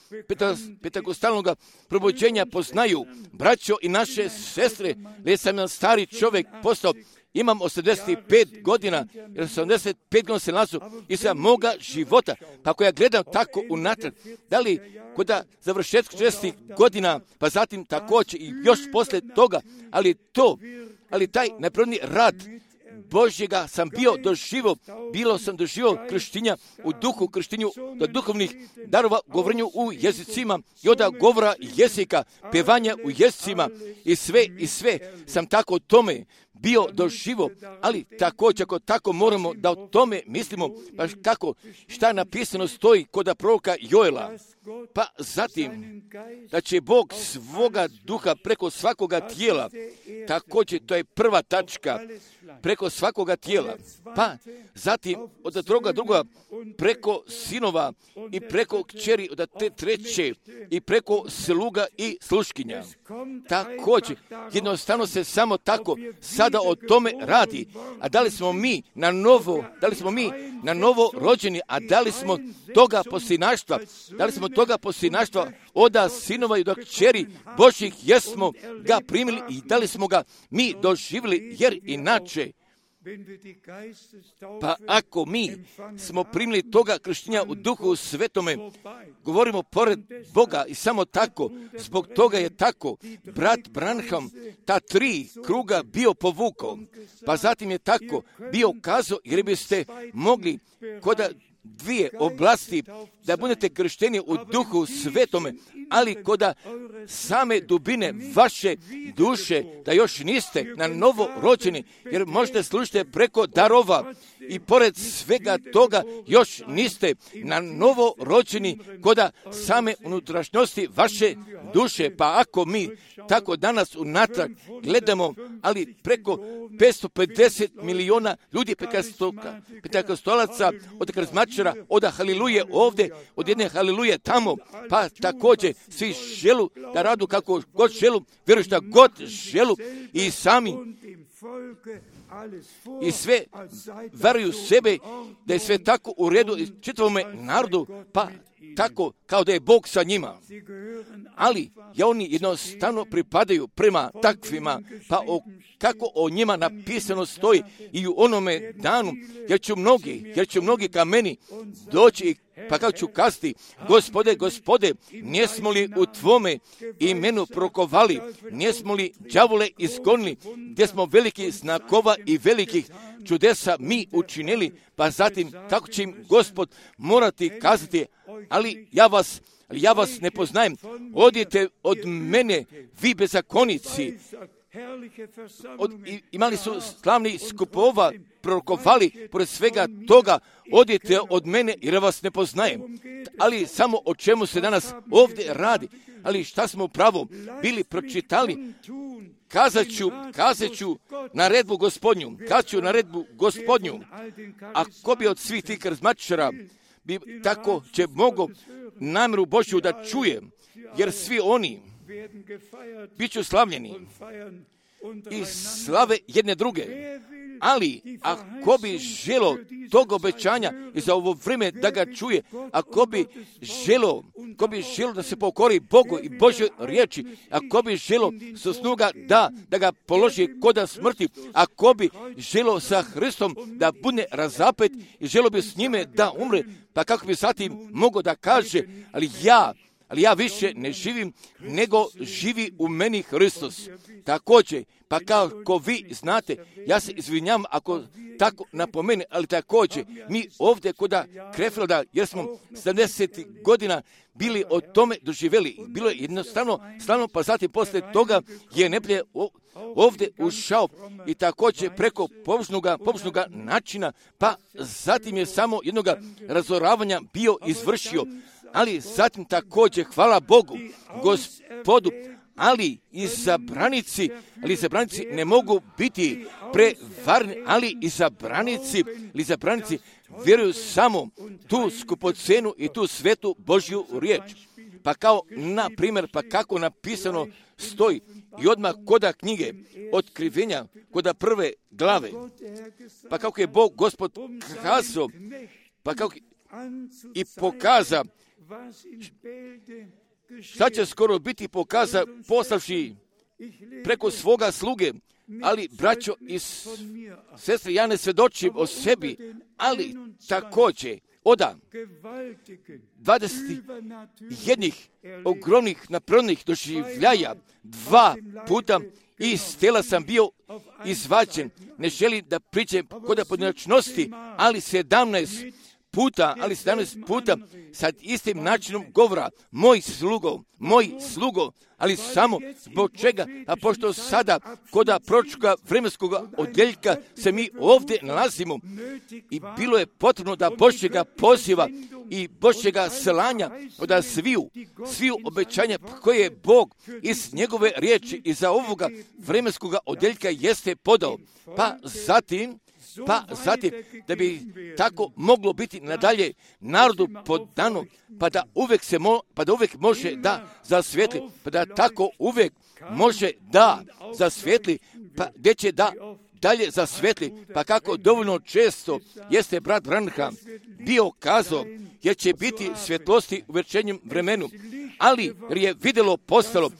pentakostalnog probuđenja poznaju. Braćo i naše sestre, jer sam jedan stari čovjek postao, imam 85 godina, jer 85 godina se nalazu i sa moga života. Pa ako ja gledam tako unatrag, da li kod završetka 60 godina, pa zatim također i još poslije toga, ali taj neprirodni rad Božjega sam bio doživio krštinja u duhu, krštinju do duhovnih darova, govorenju u jezicima i od govora jezika, pevanja u jezicima i sve sam tako o tome bio doživo, ali također ako tako moramo da o tome mislimo, pa kako, šta napisano stoji kod proroka Joela, pa zatim da će Bog svoga duha preko svakoga tijela, također to je prva tačka, preko svakoga tijela, pa zatim od druga preko sinova i preko kćeri od te treće i preko sluga i sluškinja. Također, jednostavno se samo tako sada o tome radi. A da li smo mi na novo rođeni, a da li smo toga posinaštva od sinova i od kćeri Božjih jesmo ga primili i da li smo ga mi doživjeli, jer inače, pa ako mi smo primili toga krštenja u duhu svetome, govorimo pored Boga i samo tako, zbog toga je tako brat Branham ta 3 kruga bio povukao, pa zatim je tako bio kazao, jer biste mogli kod 2 oblasti da budete kršteni u duhu svetome, ali kod same dubine vaše duše da još niste na novo rođeni, jer možete služiti preko darova i pored svega toga još niste na novo rođeni kod same unutrašnjosti vaše duše. Pa ako mi tako danas unatrag gledamo, ali preko 550 miliona ljudi pentekostalaca, od karizmatičara, od haliluje ovdje, od jedne haliluje tamo, pa također svi želu da radu kako god želu, vjeruju šta god želu i sami i sve veruju sebe da je sve tako u redu i čitavome narodu, pa tako kao da je Bog sa njima. Ali oni jednostavno pripadaju prema takvima, pa kako o njima napisano stoji i u onome danu, jer će mnogi ka meni doći, pa kako ću kazati, Gospode, nismo li u tvome imenu prokovali, nismo li đavole izgonili, gdje smo veliki znakova i velikih čudesa mi učinili, pa zatim kako će im Gospod morati kazati, ali ja vas ne poznajem, odite od mene, vi bezakonici. Imali su slavni skupova, prorokovali, pored svega toga, odite od mene jer vas ne poznajem. Ali samo o čemu se danas ovdje radi, ali šta smo upravo bili pročitali, kazat ću naredbu Gospodnju, ako bi od svih tih karizmatičara bi tako će mogo namjeru Božju da čuje, jer svi oni bit ću slavljeni i slave jedne druge. Ali ako bi želo tog obećanja i za ovo vrijeme da ga čuje, ako bi želo da se pokori Bogu i Božoj riječi, ako bi želo sa snuga da ga položi koda smrti, ako bi želo sa Hristom da bude razapet i želo bi s njime da umre, pa kako bi zatim mogao da kaže, ali ja više ne živim, nego živi u meni Hristos. Također, pa kako vi znate, ja se izvinjam ako tako napomene, ali također, mi ovdje kod Krefelda, jer smo 70 godina bili o tome doživjeli, bilo je jednostavno slavno, pa zatim poslije toga je neprijatelj ovdje ušao i također preko pobožnoga načina, pa zatim je samo jednoga razoravanja bio izvršio. Ali zatim također, hvala Bogu, Gospodu, ali izabranici ne mogu biti prevarni, ali izabranici vjeruju samo tu skupocenu i tu svetu Božju riječ. Pa kao, na primjer, pa kako napisano stoji i odmah koda knjige Otkrivenja, koda prve glave, pa kako je Bog Gospod kazao, pa kako i pokaza, šta će skoro biti pokaza poslavši preko svoga sluge, ali braćo i sestre, ja ne svjedočim o sebi, ali također oda 21 ogromnih napravnih doživljaja, 2 puta iz tela sam bio izvađen. Ne želim da pričam kod pojedinačnosti, ali 17 puta sa istim načinom govora, moj slugo, ali samo zbog čega, a pošto sada kod proročkoga vremenskog odjeljka se mi ovdje nalazimo i bilo je potrebno da Božjega poziva i Božjega slanja od sviju obećanja koje je Bog iz njegove riječi i za ovoga vremenskog odjeljka jeste podao. Pa zatim, da bi tako moglo biti nadalje narodu podano, pa da uvijek može da zasvijetli, pa da tako uvijek može da zasvijetli, pa gdje će da dalje zasvijetli, pa kako dovoljno često jeste brat Branham bio kazao, jer će biti svjetlosti u večernjem vremenu, ali je vidjelo postalo,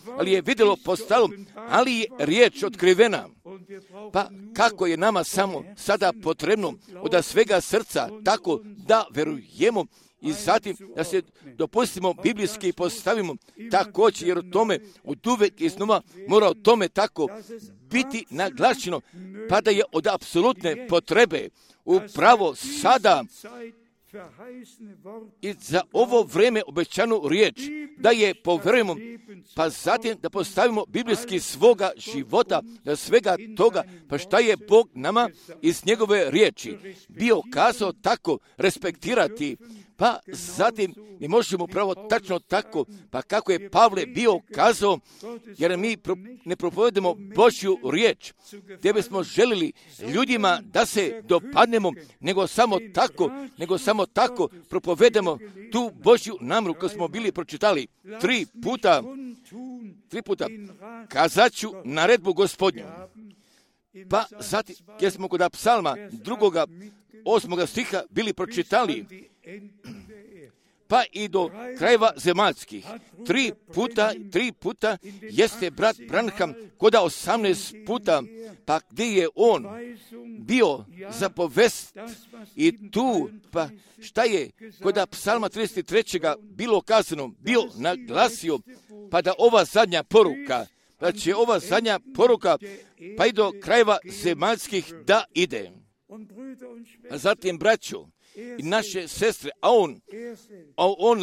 ali je riječ otkrivena. Pa kako je nama samo sada potrebno od svega srca tako da verujemo i zatim da se dopustimo biblijski postavimo također, jer o tome od uvek iznova mora o tome tako biti naglašeno, pa da je od apsolutne potrebe upravo sada i za ovo vrijeme obećanu riječ, da je povjerujemo, pa zatim da postavimo biblijski svoga života, da svega toga, pa šta je Bog nama iz njegove riječi bio kazao tako respektirati, Pa zatim mi možemo pravo tačno tako, pa kako je Pavle bio kazao, jer mi ne propovedemo Božju riječ, gdje bismo želili ljudima da se dopadnemo, nego samo tako propovedemo tu Božju namjeru koju smo bili pročitali 3 puta, kazat ću naredbu Gospodnju. Pa zatim, jer smo kod psalma 8. stiha bili pročitali, pa i do krajeva zemaljskih. 3 puta jeste brat Branham koda 18 puta, pa gdje je on bio zapovest i tu, pa šta je koda psalma 33. bilo kazano, bio naglasio, pa da ova zadnja poruka, da će ova zadnja poruka, pa i do krajeva zemaljskih da ide. A zatim, braćo i naše sestre, a on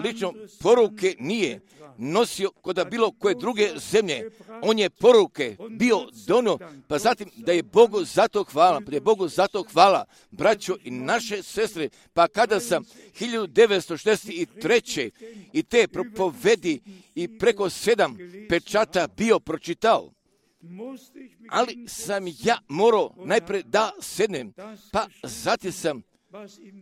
lično poruke nije nosio kod bilo koje druge zemlje. On je poruke bio donio, pa zatim da je Bogu za to hvala, braćo i naše sestre, pa kada sam 1963. i te propovedi i preko 7 pečata bio pročitao, ali sam ja morao najprije da sednem, pa zatim sam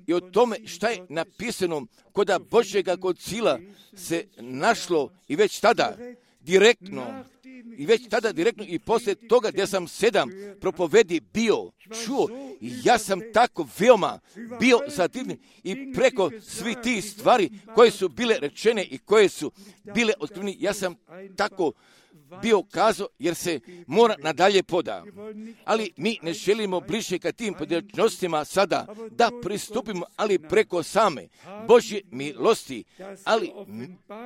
i o tome šta je napisano koda Božjega koncila se našlo i već tada direktno i poslije toga gdje sam 7 propovedi bio čuo, i ja sam tako veoma bio zadivljen i preko svih tih stvari koje su bile rečene i koje su bile otkrivene, ja sam tako bio kazao, jer se mora nadalje poda. Ali mi ne želimo bliže ka tim pojedinostima sada da pristupimo, ali preko same Božje milosti,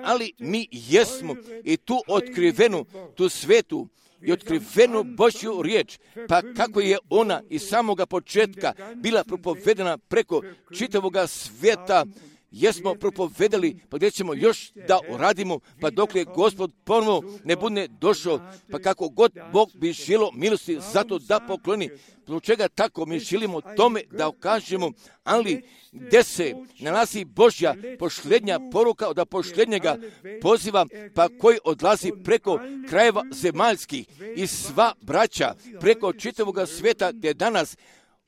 ali mi jesmo i tu otkrivenu, tu svetu i otkrivenu Božju riječ, pa kako je ona iz samoga početka bila propovedena preko čitavoga svijeta, jesmo propovedali, pa gdje ćemo još da uradimo, pa dok je Gospod ponovo ne bude došao, pa kako god Bog bi želio milosti zato da pokloni. Zbog čega tako mi želimo tome da ukažemo, ali gdje se nalazi Božja posljednja poruka od posljednjega poziva, pa koji odlazi preko krajeva zemaljskih i sva braća preko čitavoga svijeta gdje danas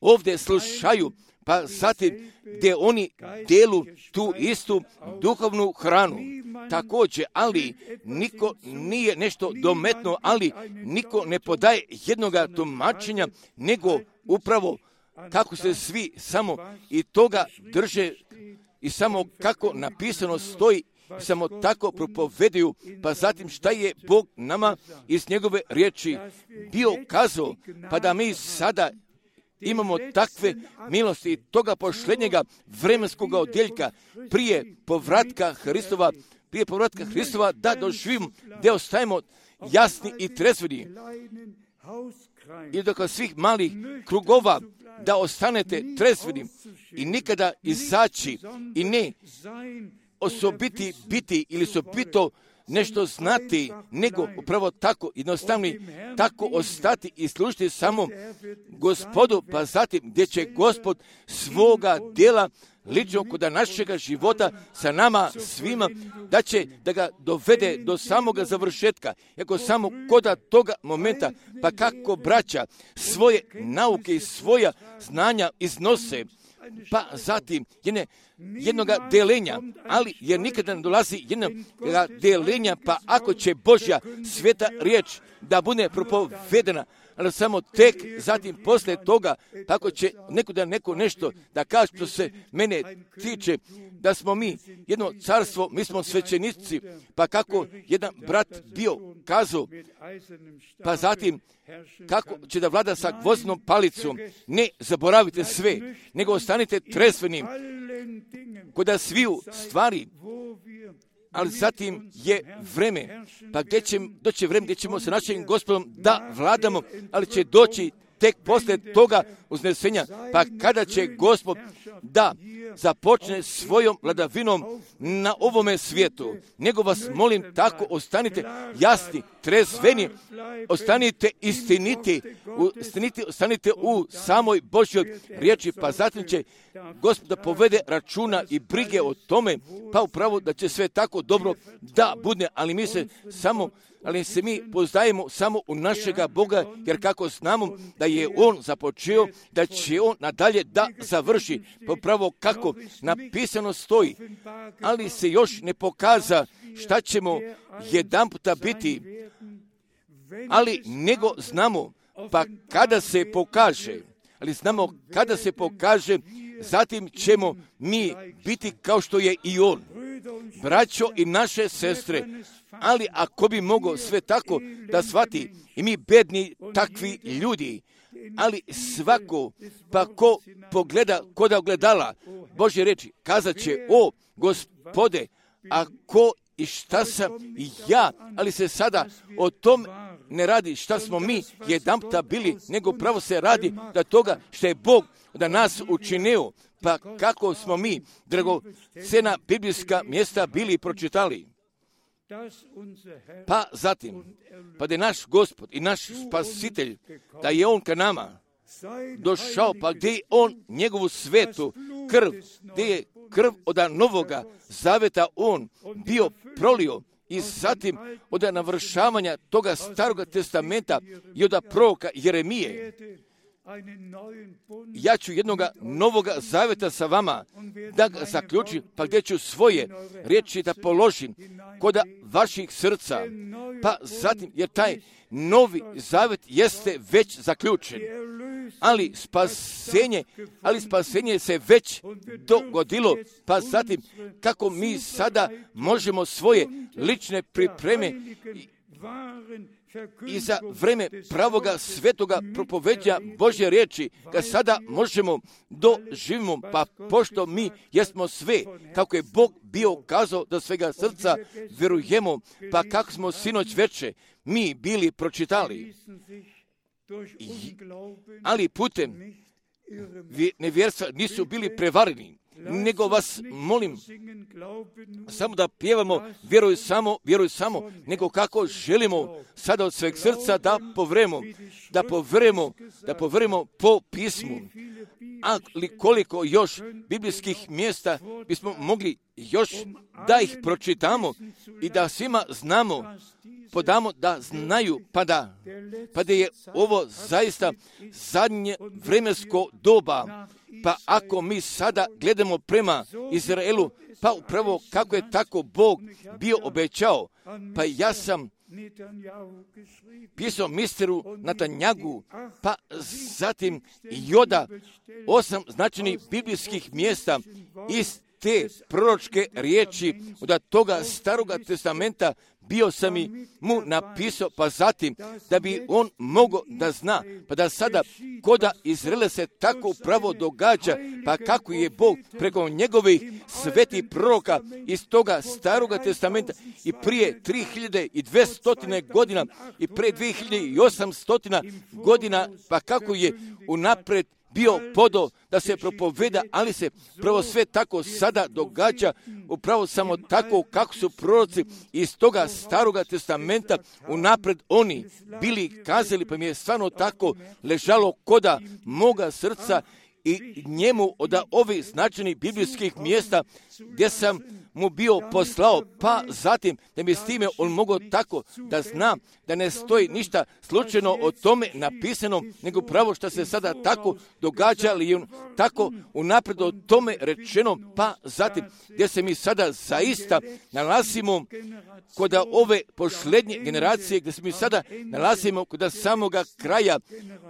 ovdje slušaju, pa zatim gdje oni delu tu istu duhovnu hranu. Također, ali niko nije nešto dometno, ali niko ne podaje jednoga tumačenja, nego upravo kako se svi samo i toga drže i samo kako napisano stoji, samo tako propovedaju, pa zatim šta je Bog nama iz njegove riječi bio kazao, pa da mi sada imamo takve milosti toga posljednjega vremenskog odjeljka prije povratka Hristova da doživimo, gdje ostajemo jasni i trezveni. I dok svih malih krugova da ostanete trezveni i nikada izaći i ne osobiti biti ili osobito nešto znati, nego upravo tako jednostavni, tako ostati i služiti samo Gospodu, pa zatim gdje će Gospod svoga djela lično kod našega života sa nama svima, da će da ga dovede do samoga završetka, jako samo koda toga momenta, pa kako braća svoje nauke i svoja znanja iznose, pa zatim jednoga delenja, ali jer nikada ne dolazi jednoga delenja, pa ako će Božja sveta riječ da bude propovedena, ali samo tek zatim poslije toga, tako će neko nešto da kaže što se mene tiče, da smo mi jedno carstvo, mi smo svećenici, pa kako jedan brat bio kazao, pa zatim kako će da vlada sa gvozdnom palicom, ne zaboravite sve, nego ostanite trezvenim kod sviju stvari, ali zatim je vreme, pa gdje će doći vreme gdje ćemo sa našim Gospodom da vladamo, ali će doći tek poslije toga uznesenja, pa kada će Gospod da započne svojom vladavinom na ovome svijetu. Nego vas molim, tako ostanite jasni, trezveni, ostanite istiniti, ostanite u samoj Božjoj riječi, pa zatim će Gospod da povede računa i brige o tome, pa upravo da će sve tako dobro da bude, ali mi poznajemo samo u našega Boga, jer kako znamo da je On započeo, da će On nadalje da završi, pa upravo kako napisano stoji, ali se još ne pokaza šta ćemo jedanputa biti, ali nego znamo, pa kada se pokaže, zatim ćemo mi biti kao što je i On. Braćo i naše sestre, ali ako bi mogao sve tako da shvati, i mi bedni takvi ljudi, ali svako, pa ko pogleda kod ogledala Božje reči, kazat će, o Gospode, a ko i šta sam i ja, ali se sada o tom ne radi šta smo mi jedanputa bili, nego pravo se radi da toga što je Bog da nas učinio, pa kako smo mi dragocjena biblijska mjesta bili pročitali. Pa zatim, pa da je naš Gospod i naš Spasitelj, da je On ka nama došao, pa gdje je On njegovu svetu krv, gdje je krv od novoga zaveta On bio prolio, i zatim od navršavanja toga staroga testamenta i od proroka Jeremije, ja ću jednoga novoga zaveta sa vama da ga zaključim, pa gdje ću svoje riječi da položim kod vaših srca, pa zatim, jer taj novi zavet jeste već zaključen, ali spasenje se već dogodilo, pa zatim kako mi sada možemo svoje lične pripreme i za vreme pravoga svetoga propoveđa Božje riječi, kad sada možemo doživimo, pa pošto mi jesmo sve, kako je Bog bio kazao da svega srca vjerujemo, pa kako smo sinoć veče mi bili pročitali, ali putem nevjerstva nisu bili prevareni, nego vas molim samo da pjevamo vjeruj samo, nego kako želimo sada od sveg srca da poverujemo po pismu. Ali koliko još biblijskih mjesta bismo mogli još da ih pročitamo i da svima podamo da znaju, pa da je ovo zaista zadnje vremensko doba. Pa ako mi sada gledamo prema Izraelu, pa upravo kako je tako Bog bio obećao, pa ja sam pisao misteru Natanjagu, pa zatim Joda, 8 značajnih biblijskih mjesta iz te proročke riječi od toga staroga testamenta bio sam i mu napisao, pa zatim da bi on mogao da zna, pa da sada koda Izraela se tako upravo događa, pa kako je Bog preko njegovih svetih proroka iz toga staroga testamenta i prije 3200 godina i prije 2800 godina, pa kako je unaprijed bio podo da se propoveda, ali se pravo sve tako sada događa, upravo samo tako kako su proroci iz toga staroga testamenta unaprijed oni bili kazali, pa mi je stvarno tako ležalo koda moga srca i njemu od ovih značajnih biblijskih mjesta gdje sam mu bio poslao, pa zatim da mi s time on mogao tako da zna da ne stoji ništa slučajno o tome napisano, nego pravo što se sada tako događa, ali tako unaprijed o tome rečeno, pa zatim gdje se mi sada zaista nalazimo kod ove posljednje generacije, gdje se mi sada nalazimo kod samoga kraja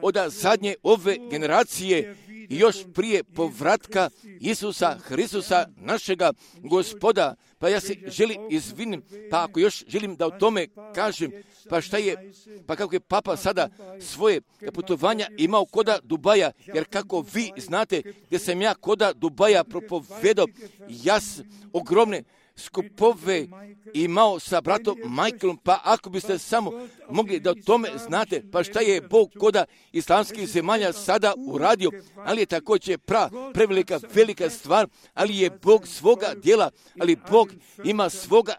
od zadnje ove generacije i još prije povratka Isusa Hristusa, našega Gospoda. Pa ja se želim izvinim, pa ako još želim da o tome kažem, pa šta je, pa kako je Papa sada svoje putovanja imao koda Dubaja, jer kako vi znate gdje sam ja koda Dubaja propovedao, ogromne skupove imao sa bratom Michaelom, pa ako biste samo mogli da o tome znate, pa šta je Bog koda islamskih zemalja sada uradio, ali je također prevelika, velika stvar, ali je Bog svoga djela, ali Bog ima svoga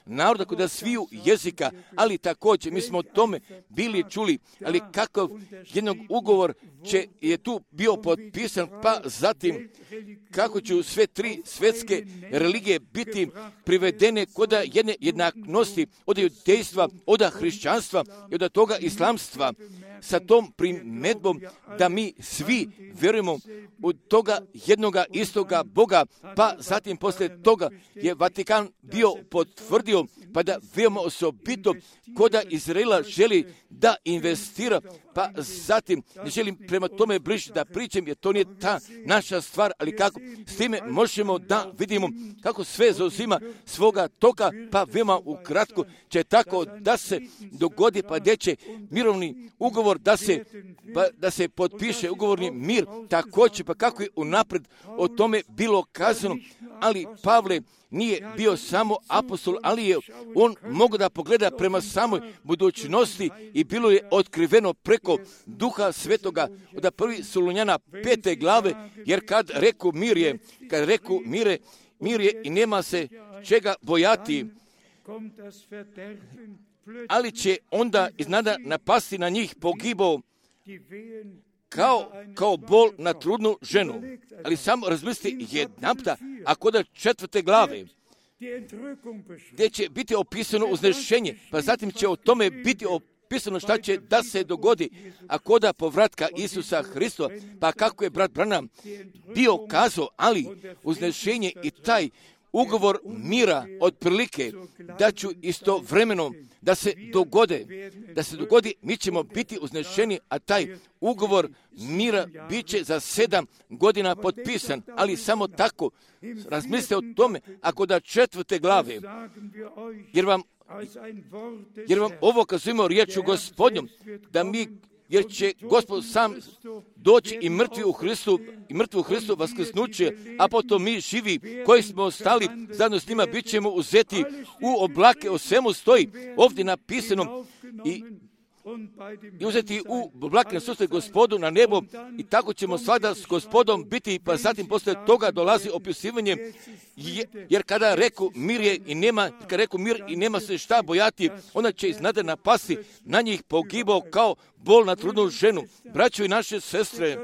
naroda koda sviju jezika, ali također mi smo o tome bili čuli, ali kakav jednog ugovor je tu bio potpisan, pa zatim kako će sve tri svjetske religije biti privedene koda jedne jednaknosti od judejstva, od hrišćanstva i od toga islamstva, sa tom primjedbom da mi svi vjerujemo u toga jednoga istoga Boga, pa zatim poslije toga je Vatikan bio potvrdio, pa da veoma osobito koda Izraela želi da investira, pa zatim ne želim prema tome bliže da pričam, jer to nije ta naša stvar, ali kako s time možemo da vidimo kako sve zauzima svoga toka, pa veoma ukratko će tako da se dogodi, pa gdje će mirovni ugovor da se potpiše ugovorni mir, također, pa kako je unaprijed o tome bilo kazano, ali Pavle nije bio samo apostol, ali je on mogao da pogleda prema samoj budućnosti i bilo je otkriveno preko Duha Svetoga od 1. Solunjana 5. glave, jer kad reku mir je i nema se čega bojati, ali će onda iznada napasti na njih pogibao kao bol na trudnu ženu. Ali samo razmislite jedanputa, a kod 4. glave, gdje će biti opisano uznešenje, pa zatim će o tome biti opisano šta će da se dogodi, a koda povratka Isusa Hristova, pa kako je brat Branham bio kazao, ali uznešenje i taj ugovor mira otprilike da ću istovremeno da se dogodi, mi ćemo biti uznešeni, a taj ugovor mira bit će za 7 godina potpisan, ali samo tako razmislite o tome, ako da 4. glave, jer vam ovo kazujemo riječu Gospodnjom, jer će Gospod sam doći i mrtvi u Hristu vaskrsnuće, a potom mi živi koji smo ostali zajedno s njima bit ćemo uzeti u oblake. O svemu stoji ovdje napisano i uzeti u oblake na susret Gospodu na nebo, i tako ćemo svada s Gospodom biti, pa zatim poslije toga dolazi opisivanje, jer kada reku mir i nema se šta bojati, onda će iznada napasti na njih pogibao kao bol na trudnu ženu. Braćo i naše sestre,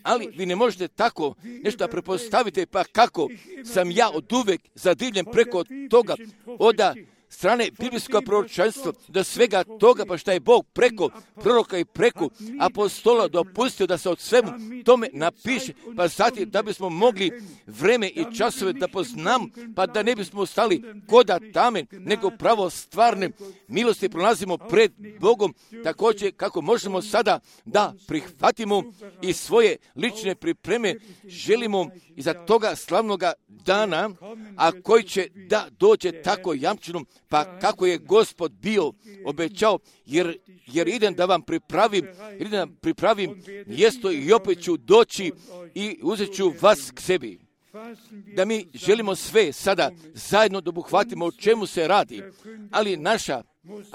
ali vi ne možete tako nešto prepostaviti, pa kako sam ja oduvek zadivljen preko toga od strane biblijskog proročanstva, do svega toga, pa šta je Bog preko proroka i preko apostola dopustio da se od svemu tome napiše, pa zatim da bismo mogli vreme i časove da poznam, pa da ne bismo ostali koda tamen, nego pravo stvarne milosti pronalazimo pred Bogom, također kako možemo sada da prihvatimo i svoje lične pripreme, želimo iza toga slavnoga dana, a koji će da dođe tako jamčenom, pa kako je Gospod bio obećao, jer idem da vam pripravim mjesto i opet ću doći i uzet ću vas k sebi. Da mi želimo sve sada zajedno da obuhvatimo o čemu se radi, ali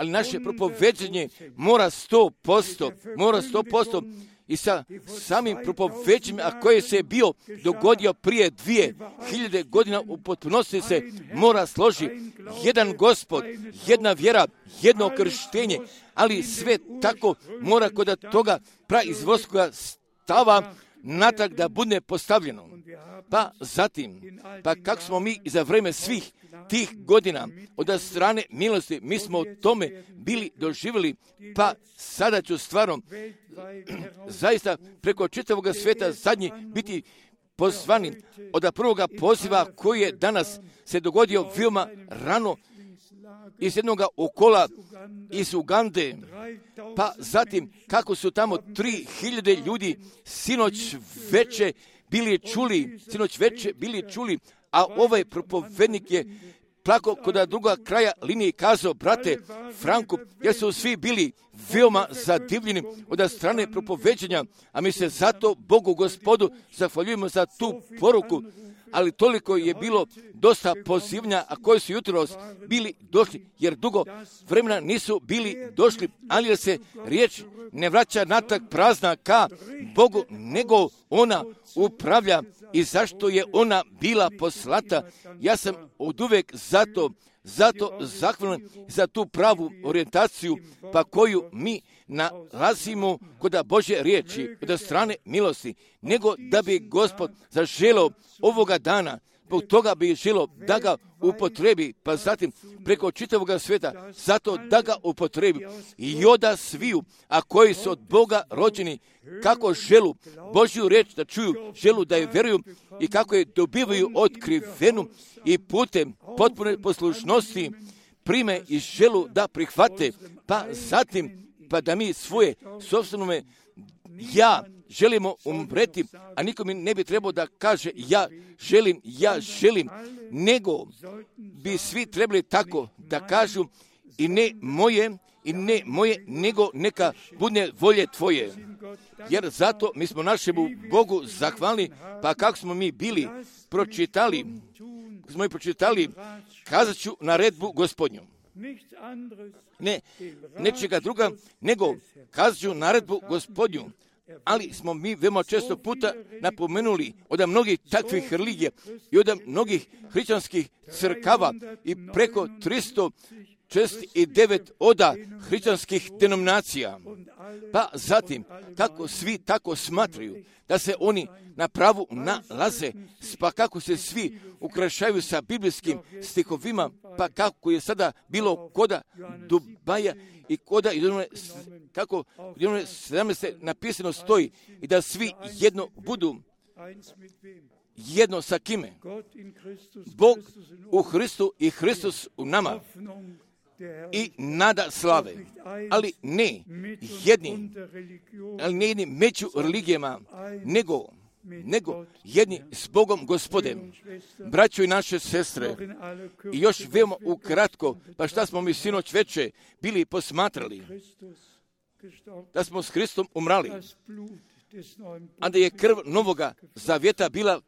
naše propoveđenje mora 100%, i sa samim propoveđenjem, a koje se bio dogodio prije 2000 godina, u potpunosti se mora složi jedan Gospod, jedna vjera, jedno krštenje, ali sve tako mora kod toga praizvorskoga stava natrag da bude postavljeno. Pa zatim, kako smo mi za vreme svih tih godina od strane milosti, mi smo o tome bili doživjeli, pa sada ću stvarno zaista preko čitavog svijeta zadnji biti pozvani od prvoga poziva koji je danas se dogodio veoma rano iz jednog okola iz Ugande, pa zatim kako su tamo 3000 ljudi sinoć veče bili čuli, a ovaj propovednik je plako kod druga kraja linije kazao, brate Franku, jer su svi bili veoma zadivljeni od strane propoveđenja, a mi se zato Bogu Gospodu zahvaljujemo za tu poruku, ali toliko je bilo dosta pozivanja, a koji su jutros bili došli, jer dugo vremena nisu bili došli, ali jer se riječ ne vraća natrag prazna ka Bogu, nego ona upravlja i zašto je ona bila poslata. Ja sam oduvek zato zahvalan za tu pravu orijentaciju, pa koju mi nalazimo kod Božje riječi, od strane milosti, nego da bi Gospod zaželio ovoga dana, zbog toga bi želio da ga upotrebi, pa zatim preko čitavoga svijeta, zato da ga upotrebi i oda sviju, a koji su od Boga rođeni, kako želu Božju riječ da čuju, želu da je vjeruju i kako je dobivaju otkrivenu i putem potpune poslušnosti prime i želu da prihvate, pa zatim pa da mi svoje sobstvenome ja želimo umreti, a niko mi ne bi trebao da kaže ja želim, nego bi svi trebali tako da kažu i ne moje, nego neka bude volje tvoje. Jer zato mi smo našemu Bogu zahvalni, pa kako smo mi bili pročitali, kazat ću naredbu Gospodnju. Ne, nečega druga, nego kazat ću naredbu Gospodnju. Ali smo mi veoma često puta napomenuli od mnogih takvih religija i od mnogih hrišćanskih crkava i preko 369 oda hrišćanskih denominacija. Pa zatim, kako svi tako smatraju da se oni na pravu nalaze, pa kako se svi ukrašaju sa biblijskim stihovima, pa kako je sada bilo koda Dubaja i koda kako u 17. napisano stoji i da svi jedno budu. Jedno sa kime? Bog u Hristu i Hristus u nama. I nada slave, ali ne jedni među religijama, nego jedni s Bogom Gospodem. Braćo i naše sestre, i još veoma ukratko, pa šta smo mi sinoć veče bili posmatrali, da smo s Hristom umrali, a da je krv novoga zavjeta bila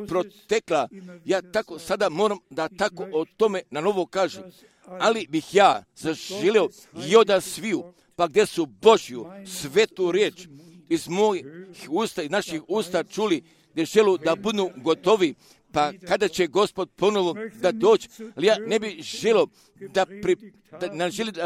protekla. Ja tako sada moram da tako o tome na novo kažem, ali bih ja zaželio i oda sviju, pa gdje su Božju svetu riječ iz mojih usta i naših usta čuli, gdje želu da budu gotovi, pa kada će Gospod ponovo da doći, ali ja ne bih želio da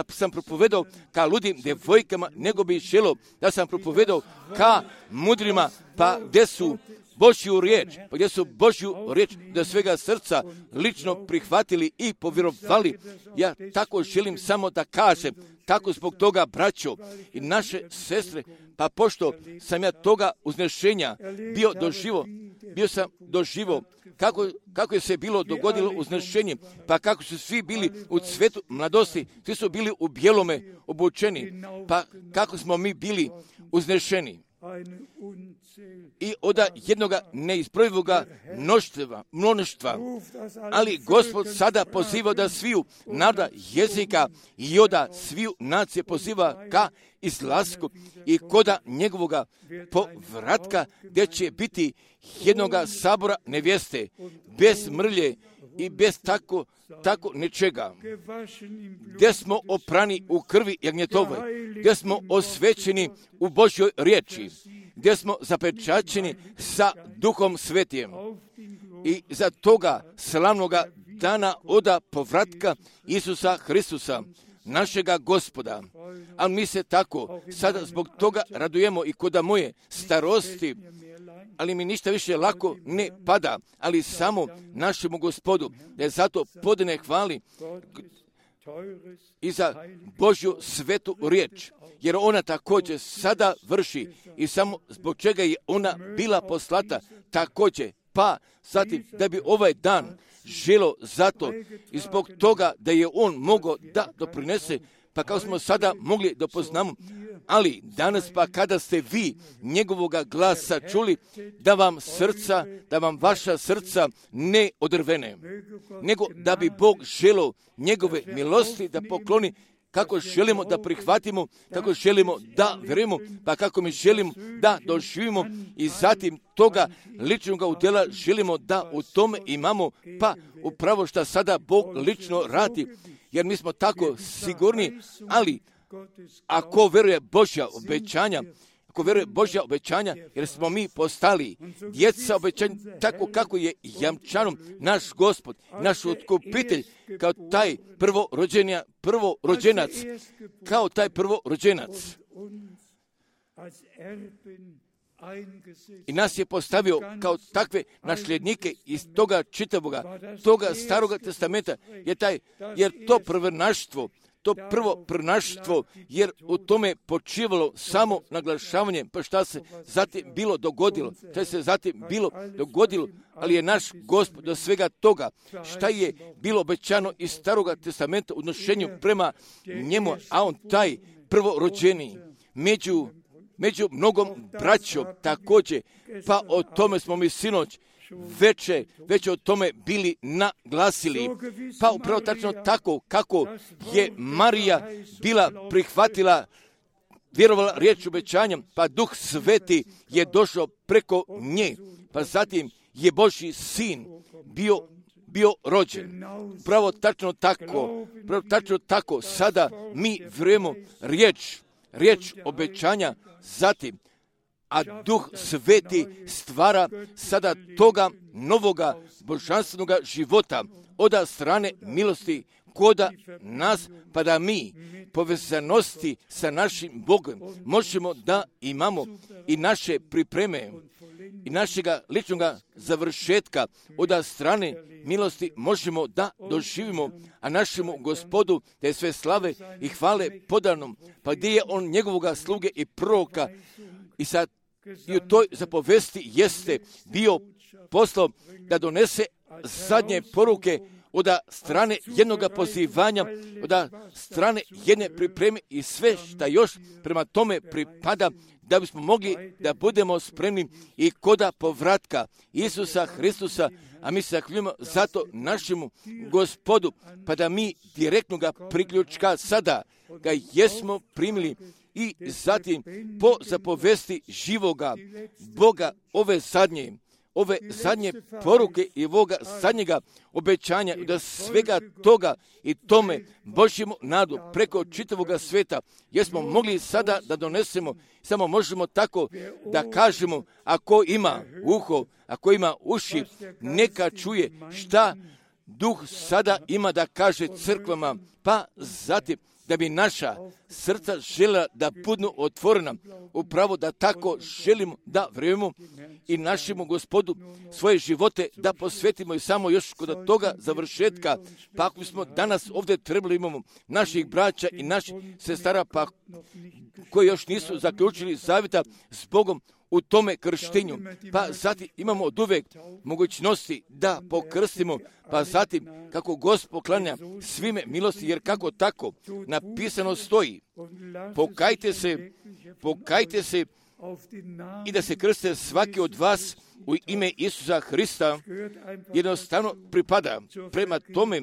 sam propovedao ka ludim devojkama, nego bih želio da sam propovedao ka mudrima, pa gdje su Božju riječ, pa gdje su Božju riječ do svega srca lično prihvatili i povjerovali. Ja tako želim samo da kažem, tako zbog toga, braćo i naše sestre, pa pošto sam ja toga uznešenja bio sam doživo kako je se bilo dogodilo uznešenje, pa kako su svi bili u cvetu mladosti, svi su bili u bijelome obučeni, pa kako smo mi bili uznešeni. I od jednoga neizbrojivoga mnoštva, ali Gospod sada poziva da sviju naroda jezika i oda sviju nacije poziva ka izlasku i koda njegovoga povratka, gdje će biti jednoga sabora nevjeste, bez mrlje i bez tako nečega, gdje smo oprani u krvi jagnjetove, gdje smo osvećeni u Božjoj riječi, gdje smo zapečaćeni sa Duhom Svetijem. I za toga slavnoga dana oda povratka Isusa Hristusa, našega Gospoda. A mi se tako sada zbog toga radujemo i koda moje starosti, ali mi ništa više lako ne pada, ali samo našemu Gospodu, da je zato podane hvali i za Božju svetu riječ, jer ona također sada vrši i samo zbog čega je ona bila poslata također, pa zatim da bi ovaj dan želo zato i zbog toga da je on mogao da doprinese, pa kao smo sada mogli da poznamo, ali danas pa kada ste vi njegovoga glasa čuli, da vam vaša srca ne odrvene, nego da bi Bog želio njegove milosti da pokloni kako želimo da prihvatimo, kako želimo da vjerujemo, pa kako mi želimo da doživimo i zatim toga ličnog udjela želimo da u tome imamo, pa upravo što sada Bog lično radi, jer mi smo tako sigurni, ali ako vjeruje Božja obećanja, jer smo mi postali djeca obećanja, tako kako je jamčanom naš Gospod, naš otkupitelj, kao taj prvorođenac. I nas je postavio kao takve nasljednike iz toga čitavoga, toga staroga testamenta, jer to prvo prnaštvo, jer u tome počivalo samo naglašavanje, pa šta se zatim bilo dogodilo, ali je naš Gospod do svega toga, šta je bilo obećano iz staroga testamenta u odnošenju prema njemu, a on taj prvorođeni među mnogom braćom također, pa o tome smo mi sinoć već o tome bili naglasili. Pa upravo tačno tako kako je Marija bila prihvatila, vjerovala riječ obećanja, pa Duh Sveti je došao preko nje, pa zatim je Božji sin bio rođen. Pravo tačno tako, sada mi vjerujemo riječ obećanja, zatim, a Duh Sveti stvara sada toga novoga božanstvenoga života od strane milosti koda nas, pa da mi povezanosti sa našim Bogom možemo da imamo i naše pripreme i našega ličnoga završetka od strane milosti možemo da doživimo, a našemu Gospodu da je sve slave i hvale podanom, pa gdje je on njegovoga sluge i proroka i u toj zapovesti jeste bio poslao da donese zadnje poruke od strane jednoga pozivanja, od strane jedne pripreme i sve što još prema tome pripada, da bismo mogli da budemo spremni i koda povratka Isusa Hristusa, a mi se zahvaljujemo zato našemu Gospodu, pa da mi direktnoga priključka sada ga jesmo primili i zatim po zapovesti živoga Boga ove zadnje poruke i ovoga zadnjega obećanja, da svega toga i tome Božjemu nadu preko čitavoga sveta jesmo mogli sada da donesemo. Samo možemo tako da kažemo, ako ima uho, ako ima uši, neka čuje šta Duh sada ima da kaže crkvama, pa zatim da bi naša srca željela da budu otvorena, upravo da tako želimo da vjerujemo i našemu Gospodu svoje živote da posvetimo i samo još kod toga završetka, pa ako smo danas ovdje trebali imamo naših braća i naših sestara, pa koji još nisu zaključili zavjeta s Bogom u tome krštenju, pa zatim imamo od uvek mogućnosti da pokrstimo, pa zatim kako Gospod poklanja svime milosti, jer kako tako napisano stoji, pokajte se i da se krste svaki od vas u ime Isusa Hrista, jednostavno pripada prema tome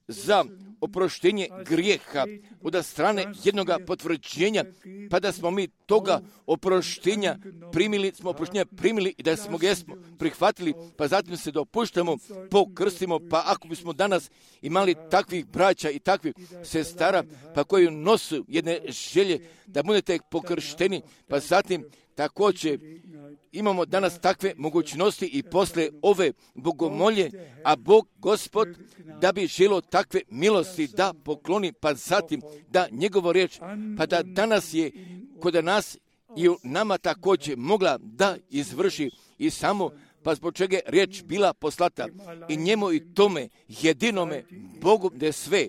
za oproštenje grijeha od strane jednoga potvrđenja, pa da smo mi toga oproštenja primili i da smo ga prihvatili, pa zatim se dopuštamo, pokrstimo, pa ako bismo danas imali takvih braća i takvih sestara, pa koji nosu jedne želje da budete pokršteni, pa zatim također imamo danas takve mogućnosti i posle ove bogomolje, a Bog Gospod da bi želio takve milosti da pokloni, pa zatim da njegovo riječ, pa da danas je kod nas i u nama također mogla da izvrši i samo pa zbog čega je riječ bila poslata i njemu i tome jedinome Bogu da sve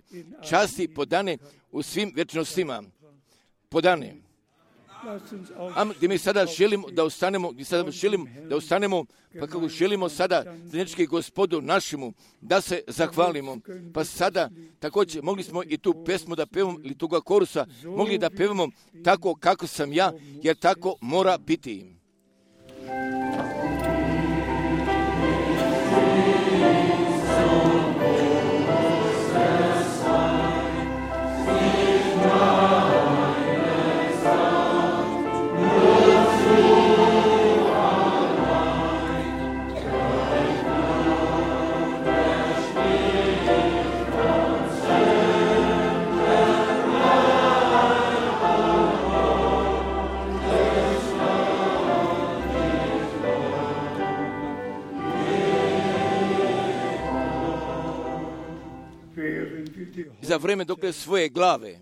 časti podane u svim vječnostima podane. Gdje mi sada želimo da ostanemo, pa kako želimo sada zajednički Gospodu našemu da se zahvalimo. Pa sada također mogli smo i tu pesmu da pevamo ili toga korusa mogli da pevamo tako kako sam ja, jer tako mora biti. za vreme dokle svoje glave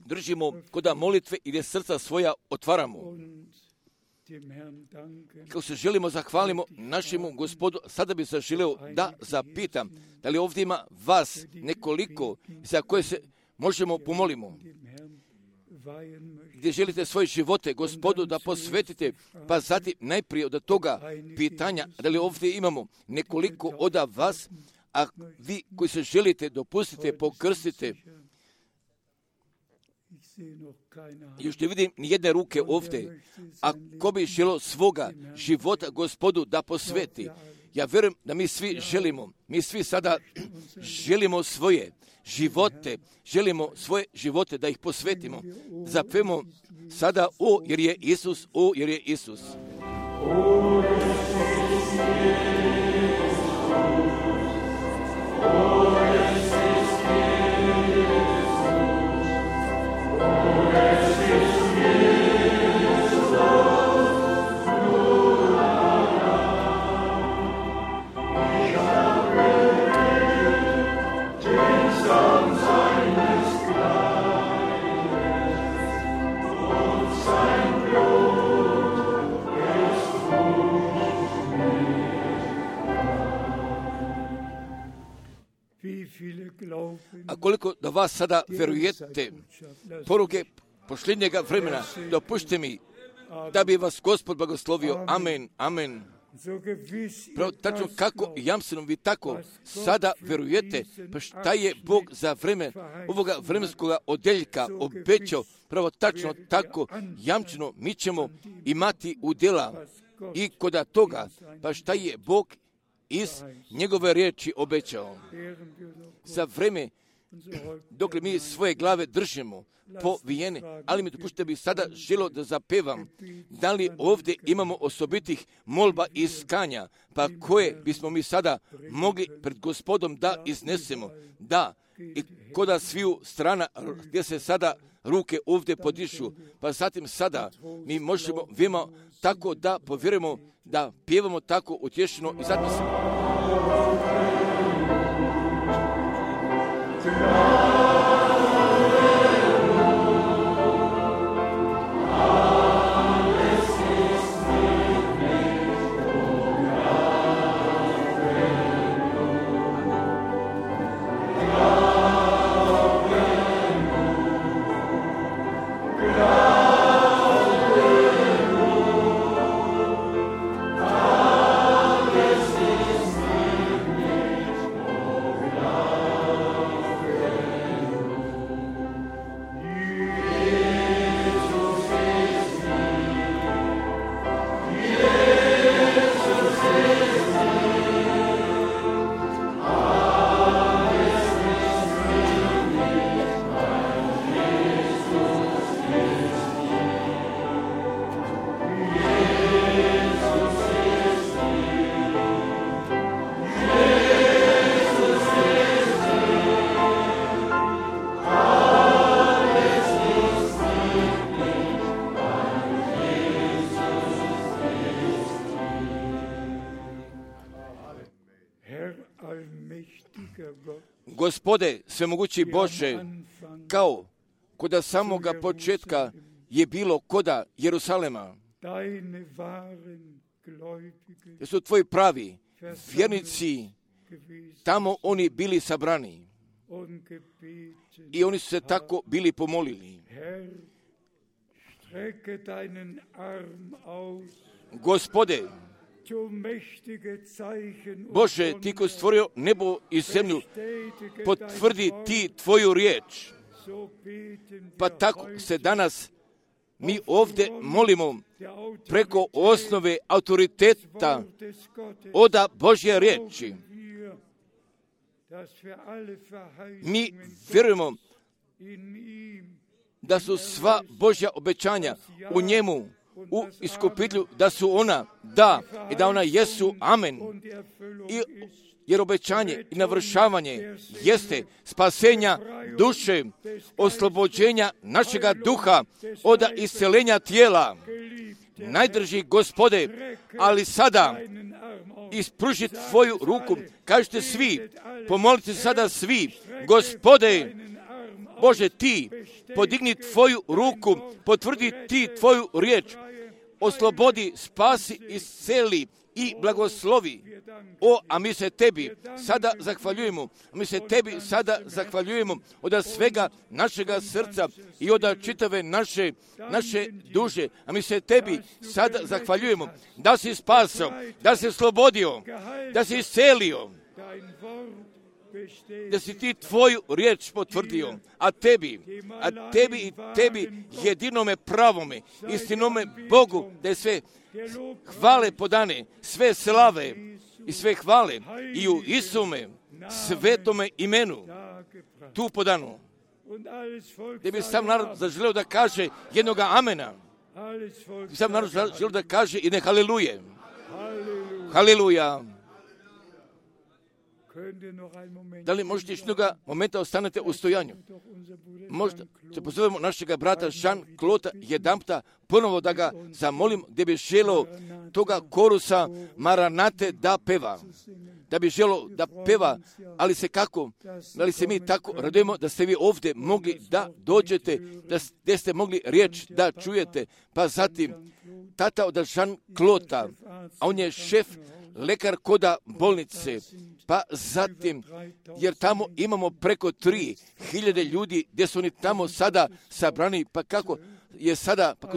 držimo kod molitve i gdje srca svoja otvaramo. Kako se želimo zahvalimo našemu Gospodu, sada bi se želeo da zapitam da li ovdje ima vas nekoliko za koje se možemo pomolimo, gdje želite svoje živote Gospodu da posvetite, pa zatim najprije od toga pitanja da li ovdje imamo nekoliko od vas, a vi koji se želite dopustite, pokrstite. Još ne vidim ni jedne ruke ovdje, a ko bi želio svoga života Gospodu da posveti. Ja vjerujem da mi svi sada želimo svoje živote da ih posvetimo. Zapevamo sada o jer je Isus, o jer je Isus. A koliko da vas sada verujete poruke posljednjega vremena, dopušte mi da bi vas Gospod blagoslovio. Amen, amen. Pravo tačno kako jamstvenom vi tako sada verujete, pa šta je Bog za vreme ovoga vremenskog odeljka obećao, pravo tačno tako jamčeno mi ćemo imati udjela i kod toga, pa šta je Bog iz njegove riječi obećao. Za vreme dok mi svoje glave držimo povijene, ali mi dopušte bi sada želio da zapevam da li ovdje imamo osobitih molba i iskanja, pa koje bismo mi sada mogli pred Gospodom da iznesemo. Da, i koda sviju strana gdje se sada ruke ovdje podišu, pa zatim sada mi možemo vima tako da povjerujemo, da pjevamo tako utješeno i zatim se... Gospode, svemogući Bože, kao koda samoga početka je bilo koda Jerusalema, da su tvoji pravi vjernici, tamo oni bili sabrani i oni su se tako bili pomolili. Gospode, Bože, ti ko stvorio nebo i zemlju, potvrdi ti tvoju riječ. Pa tako se danas mi ovdje molimo preko osnove autoriteta oda Božje riječi. Mi vjerujemo da su sva Božja obećanja u njemu, u iskupitelju, da su ona da i da ona jesu amen. Jer obećanje i navršavanje jeste spasenja duše, oslobođenja našega duha od isceljenja tijela. Najdrži Gospode, ali sada ispruži tvoju ruku. Kažete svi, pomolite sada svi, Gospode, Bože, ti podigni tvoju ruku, potvrdi ti tvoju riječ, oslobodi, spasi, isceli i blagoslovi. A mi se tebi sada zahvaljujemo. Mi se tebi sada zahvaljujemo od svega našega srca i od čitave naše duše. A mi se tebi sada zahvaljujemo da si spasao, da si oslobodio, da si iscelio, da si ti tvoju riječ potvrdio, a tebi i tebi jedinome pravome, istinome Bogu, da je sve hvale podane, sve slave i sve hvale i u Isume svetome imenu tu podano. Da bi sam narod zaželeo da kaže jednoga amena, sam narod zaželeo da kaže jedne haleluje. Haleluja. Da li možete jednoga momenta ostanete u stojanju? Možda se pozovemo našega brata Jean-Claude jedanputa ponovo da ga zamolim gdje bi želeo toga korusa Maranate da peva. Da bi želeo da peva, ali se kako? Da li se mi tako radujemo da ste vi ovdje mogli da dođete, da ste mogli riječ da čujete, pa zatim tata od Jean-Claude, a on je šef lekar koda bolnice, pa zatim, jer tamo imamo preko 3.000 ljudi gdje su oni tamo sada sabrani, pa kako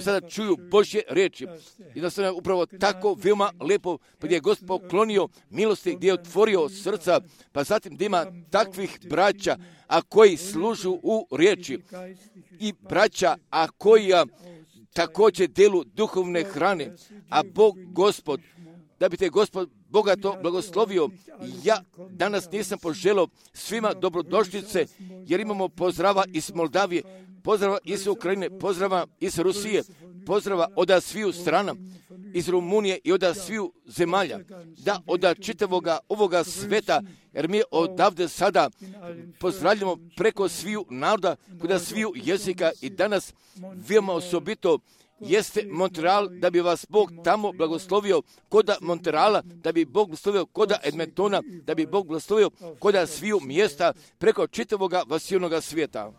sada čuju Božje riječi. Jednostavno je upravo tako veoma lepo, pa gdje je Gospod poklonio milosti, gdje je otvorio srca, pa zatim da ima takvih braća, a koji služu u riječi i braća, a koji također delu duhovne hrane, a Bog Gospod, da bi te Gospod bogato blagoslovio. Ja danas nisam poželio svima dobrodošlice, jer imamo pozdrava iz Moldavije, pozdrava iz Ukrajine, pozdrava iz Rusije, pozdrava od sviju strana, iz Rumunije i od sviju zemalja, da od čitavoga ovoga sveta, jer mi odavde sada pozdravljamo preko sviju naroda, kod sviju jezika i danas veoma osobito jeste Montreal, da bi vas Bog tamo blagoslovio koda Montreala, da bi Bog blagoslovio koda Edmontona, da bi Bog blagoslovio koda sviju mjesta preko čitavoga vasilnoga svijeta.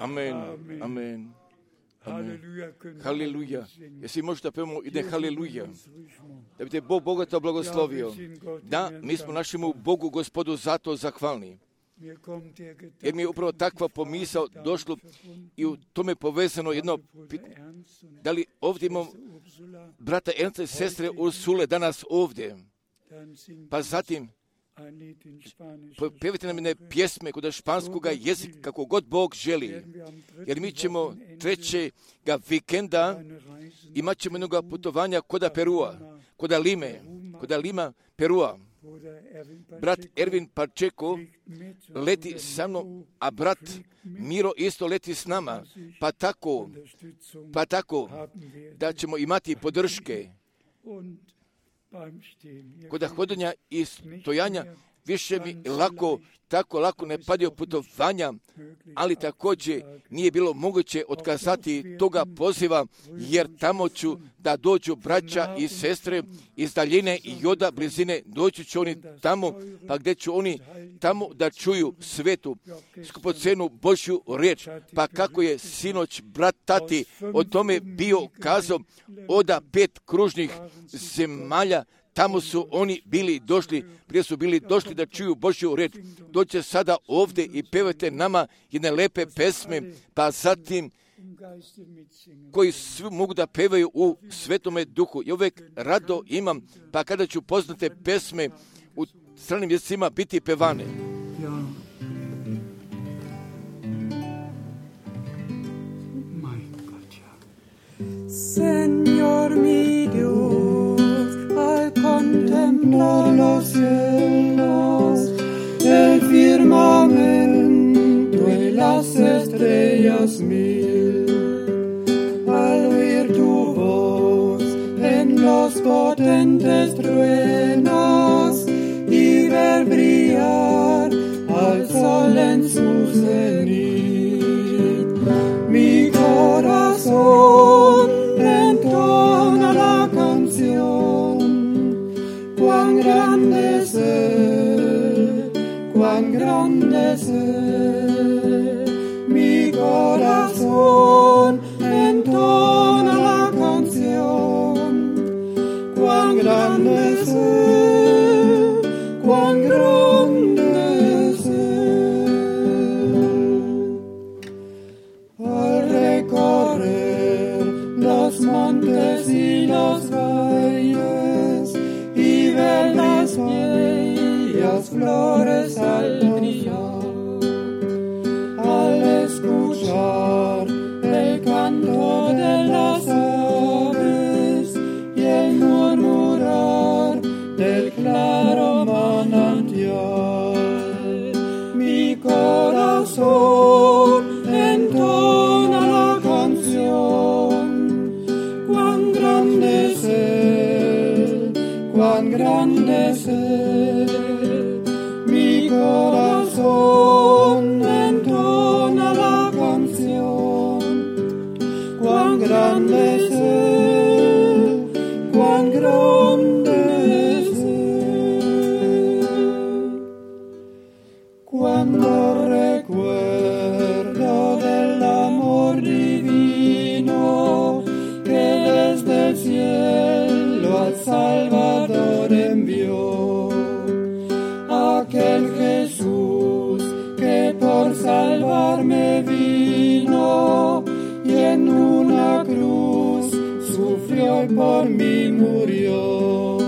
Amen. Amen. Haleluja. Jesi možda pevamo ide haleluja. Da bi te Bog bogato blagoslovio. Da, mi smo našemu Bogu Gospodu zato zahvalni. Jer mi je upravo takva pomisao došlo i u tome povezano jedno pitanje. Da li ovdje imamo brata Ernsta i sestre Ursule danas ovdje? Pa zatim pevite nam jedne pjesme kod španskoga jezika, kako god Bog želi. Jer mi ćemo 3. vikenda imat ćemo jednog putovanja koda Perua, koda Lima, Perua. Brat Ervin Pačeko leti sa mnom, a brat Miro isto leti s nama. Pa tako da ćemo imati podrške. Kod hodanja i stojanja više mi tako lako ne padaju putovanja, ali također nije bilo moguće otkazati toga poziva, jer tamo ću da dođu braća i sestre iz daljine i od blizine, doći će oni tamo, pa gdje će oni tamo da čuju svetu, skupocenu Božju riječ, pa kako je sinoć brat Tati o tome bio kazao, od 5 kružnih zemalja, tamo su oni bili došli, prije su bili došli da čuju Božju riječ. Dođe sada ovdje i pevajte nama jedne lepe pesme, pa zatim koji svi mogu da pevaju u Svetome Duhu. I uvijek rado imam, pa kada ću poznate pesme u stranim jezicima biti pevane. Señor mi Dios, al contemplar los cielos, el firmamento y las estrellas mil, al oír tu voz en los potentes truenos y ver brillar al sol en su cenit, mi corazón entona la canción, cuán grande es mi corazón entona la canción, cuán grande es al recorrer los montes y los valles y ver las bellas flores al brillar, al escuchar el canto de las aves y el murmurar del claro manantial, mi corazón entona la canción, cuán grande es mi corazón entona la canción, cuán grande es cuando recuerdo del amor divino que desde el cielo al Salvador envió, aquel Jesús que por salvarme vino y en una cruz sufrió y por mí murió,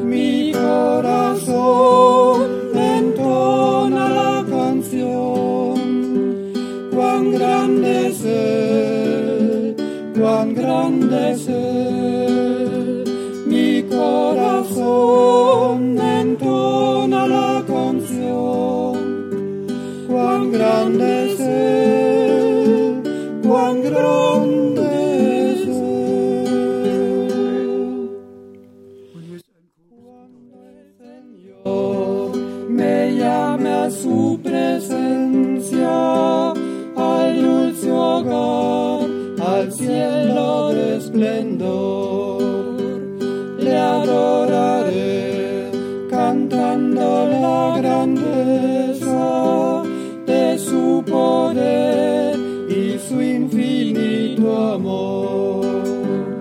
mi corazón entona la canción, cuán grande es mi corazón entona la canción, cuán grande es Señor me llame a su presencia, al dulce hogar, al cielo de esplendor, le adoraré cantando la grandeza de su poder. Amor.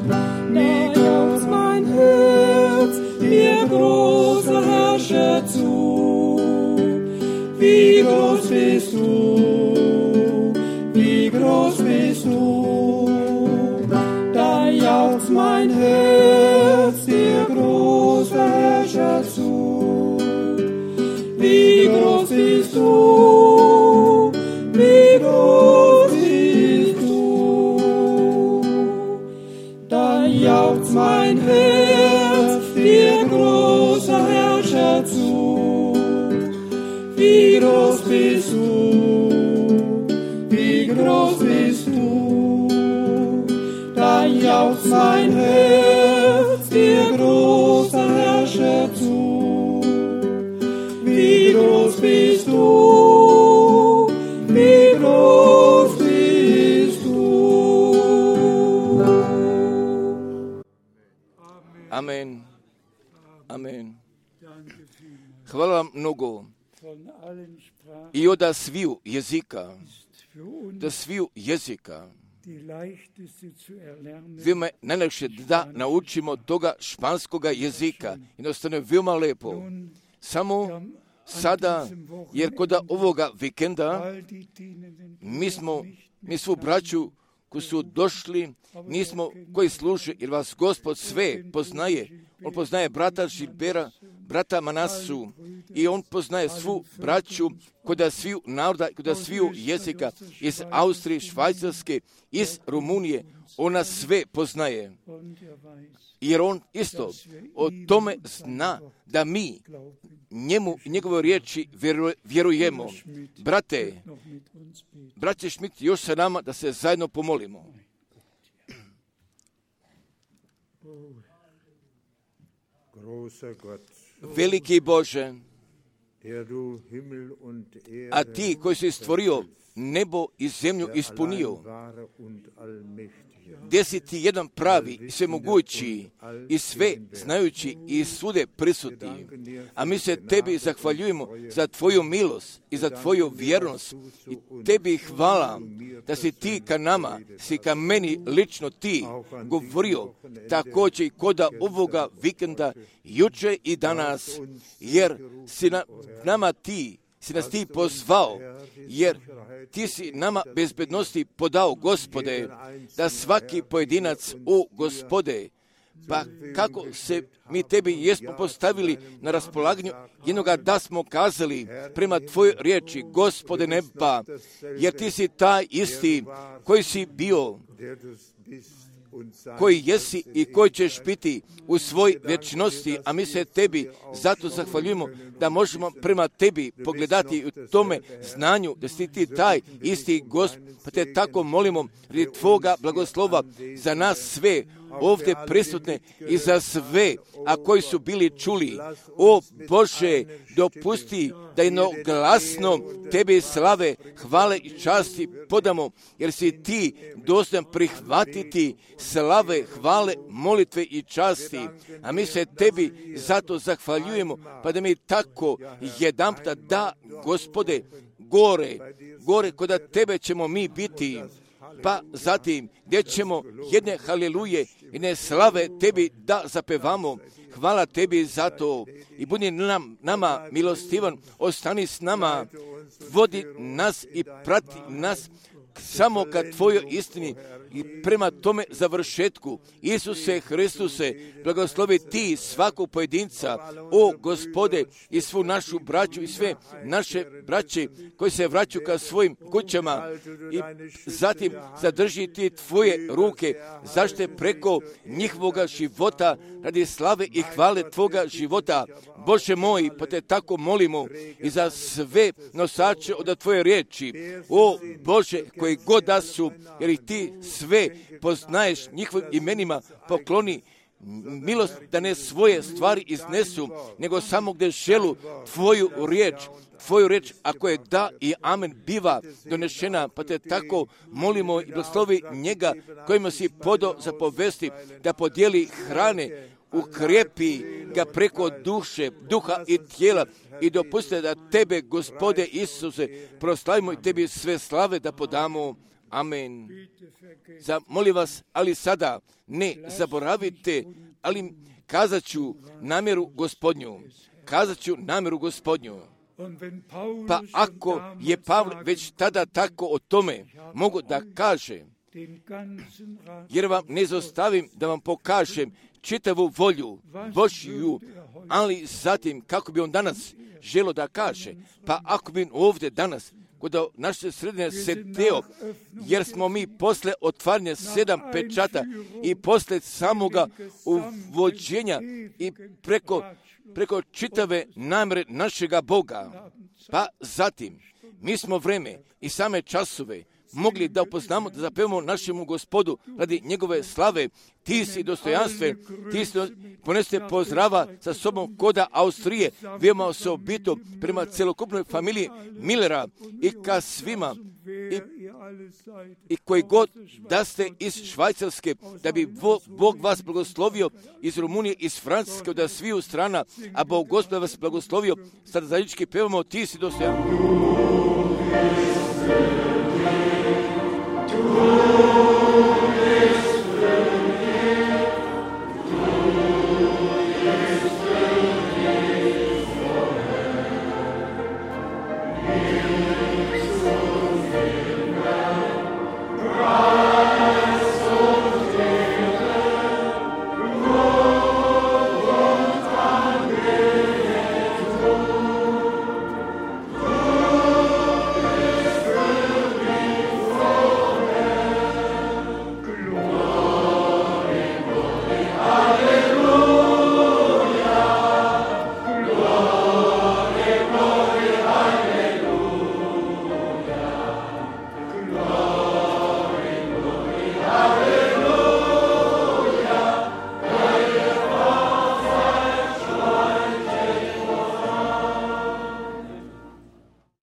Da jauchzt mein Herz, dir großer Herrscher zu. Wie groß bist du, wie groß bist du. Da jauchzt mein Herz, dir großer Herrscher zu. Wie groß bist du, wie groß bist du. Da jauchzt mein Herz, dir großer Herrscher zu. Wie groß bist du, wie groß bist du. Da jauchzt mein Herz, dir großer Herrscher zu. Wie groß bist du, wie groß bist du. Amen. Amen. Hvala vam mnogo. I od sviju jezika, veoma je najlakše da naučimo toga španskoga jezika. Jednostavno je veoma lepo. Samo sada, jer kod ovoga vikenda mi svu braću koji su došli, koji služe, jer vas Gospod sve poznaje. On poznaje brata Žilbera, brata Manasu i on poznaje svu braću kod sviju naroda, kod sviju jezika iz Austrije, Švajcarske, iz Rumunije. On nas sve poznaje. Jer on isto o tome zna da mi njemu i njegove riječi vjerujemo. Braće Schmidt, još sa nama da se zajedno pomolimo. Veliki Bože, a ti koji si stvorio nebo i zemlju ispunio, gdje si ti jedan pravi i svemogući i sve znajući i svude prisutni. A mi se tebi zahvaljujemo za tvoju milost i za tvoju vjernost. I tebi hvala da si ti ka nama, si ka meni lično ti govorio također i kod ovoga vikenda, juče i danas, jer si nas ti pozvao, jer ti si nama bezbednosti podao, Gospode, da svaki pojedinac, o Gospode, pa kako se mi tebi jesmo postavili na raspolaganju jednoga da smo kazali prema tvojoj riječi, Gospode neba, jer ti si taj isti koji si bio, koji jesi i koji ćeš biti u svoj vječnosti, a mi se tebi zato zahvaljujemo da možemo prema tebi pogledati u tome znanju da si ti taj isti Gospod, pa te tako molimo radi tvoga blagoslova za nas sve ovdje prisutne i za sve, a koji su bili čuli. O Bože, dopusti da jednoglasno tebi slave, hvale i časti podamo, jer si ti dostojan prihvatiti slave, hvale, molitve i časti. A mi se tebi zato zahvaljujemo, pa da mi tako jedanputa da, Gospode, gore kod tebe ćemo mi biti. Pa zatim, gdje ćemo jedne haliluje, jedne slave tebi da zapevamo. Hvala tebi za to i budi nama milostivan, ostani s nama, vodi nas i prati nas samo ka tvojoj istini i prema tome završetku. Isuse Hristuse, blagoslovi ti svakog pojedinca, o Gospode, i svu našu braću i sve naše braće koji se vraćaju ka svojim kućama i zatim zadrži ti tvoje ruke, zašte preko njihovoga života radi slave i hvale tvoga života. Bože moj, pa te tako molimo i za sve nosače od tvoje riječi. O Bože, koji god da su, jer ih ti sve poznaješ njihovim imenima, pokloni milost da ne svoje stvari iznesu, nego samo gdje želu tvoju riječ, ako je da i amen, biva donešena, pa te tako molimo i blagoslovi njega kojima si podao za povesti da podijeli hrane, ukrijepi ga preko duha i tijela i dopuste da tebe, Gospode Isuse, proslavimo i tebi sve slave da podamo. Amen. Molim vas, ali sada ne zaboravite, ali kazat ću namjeru Gospodnju. Pa ako je Pavle već tada tako o tome mogu da kaže, jer vam ne zostavim da vam pokažem čitavu volju Božju, ali zatim kako bi on danas želo da kaže, pa ako bi ovdje danas kod naše sredine sedeo, jer smo mi posle otvaranja 7 pečata i posle samoga uvođenja i preko čitave namjere našega Boga, pa zatim mi smo vreme i same časove mogli da upoznamo, da zapevamo našemu Gospodu radi njegove slave. Ti si dostojanstven, ponesete pozdrava sa sobom koda Austrije, veoma osobito prema celokupnoj familiji Millera i ka svima i koji god da ste iz Švajcarske, da bi Bog vas blagoslovio, iz Rumunije, iz Francuske, od sviju strana, a Bog Gospod vas blagoslovio. Sada zajednički pevamo Ti si dostojan.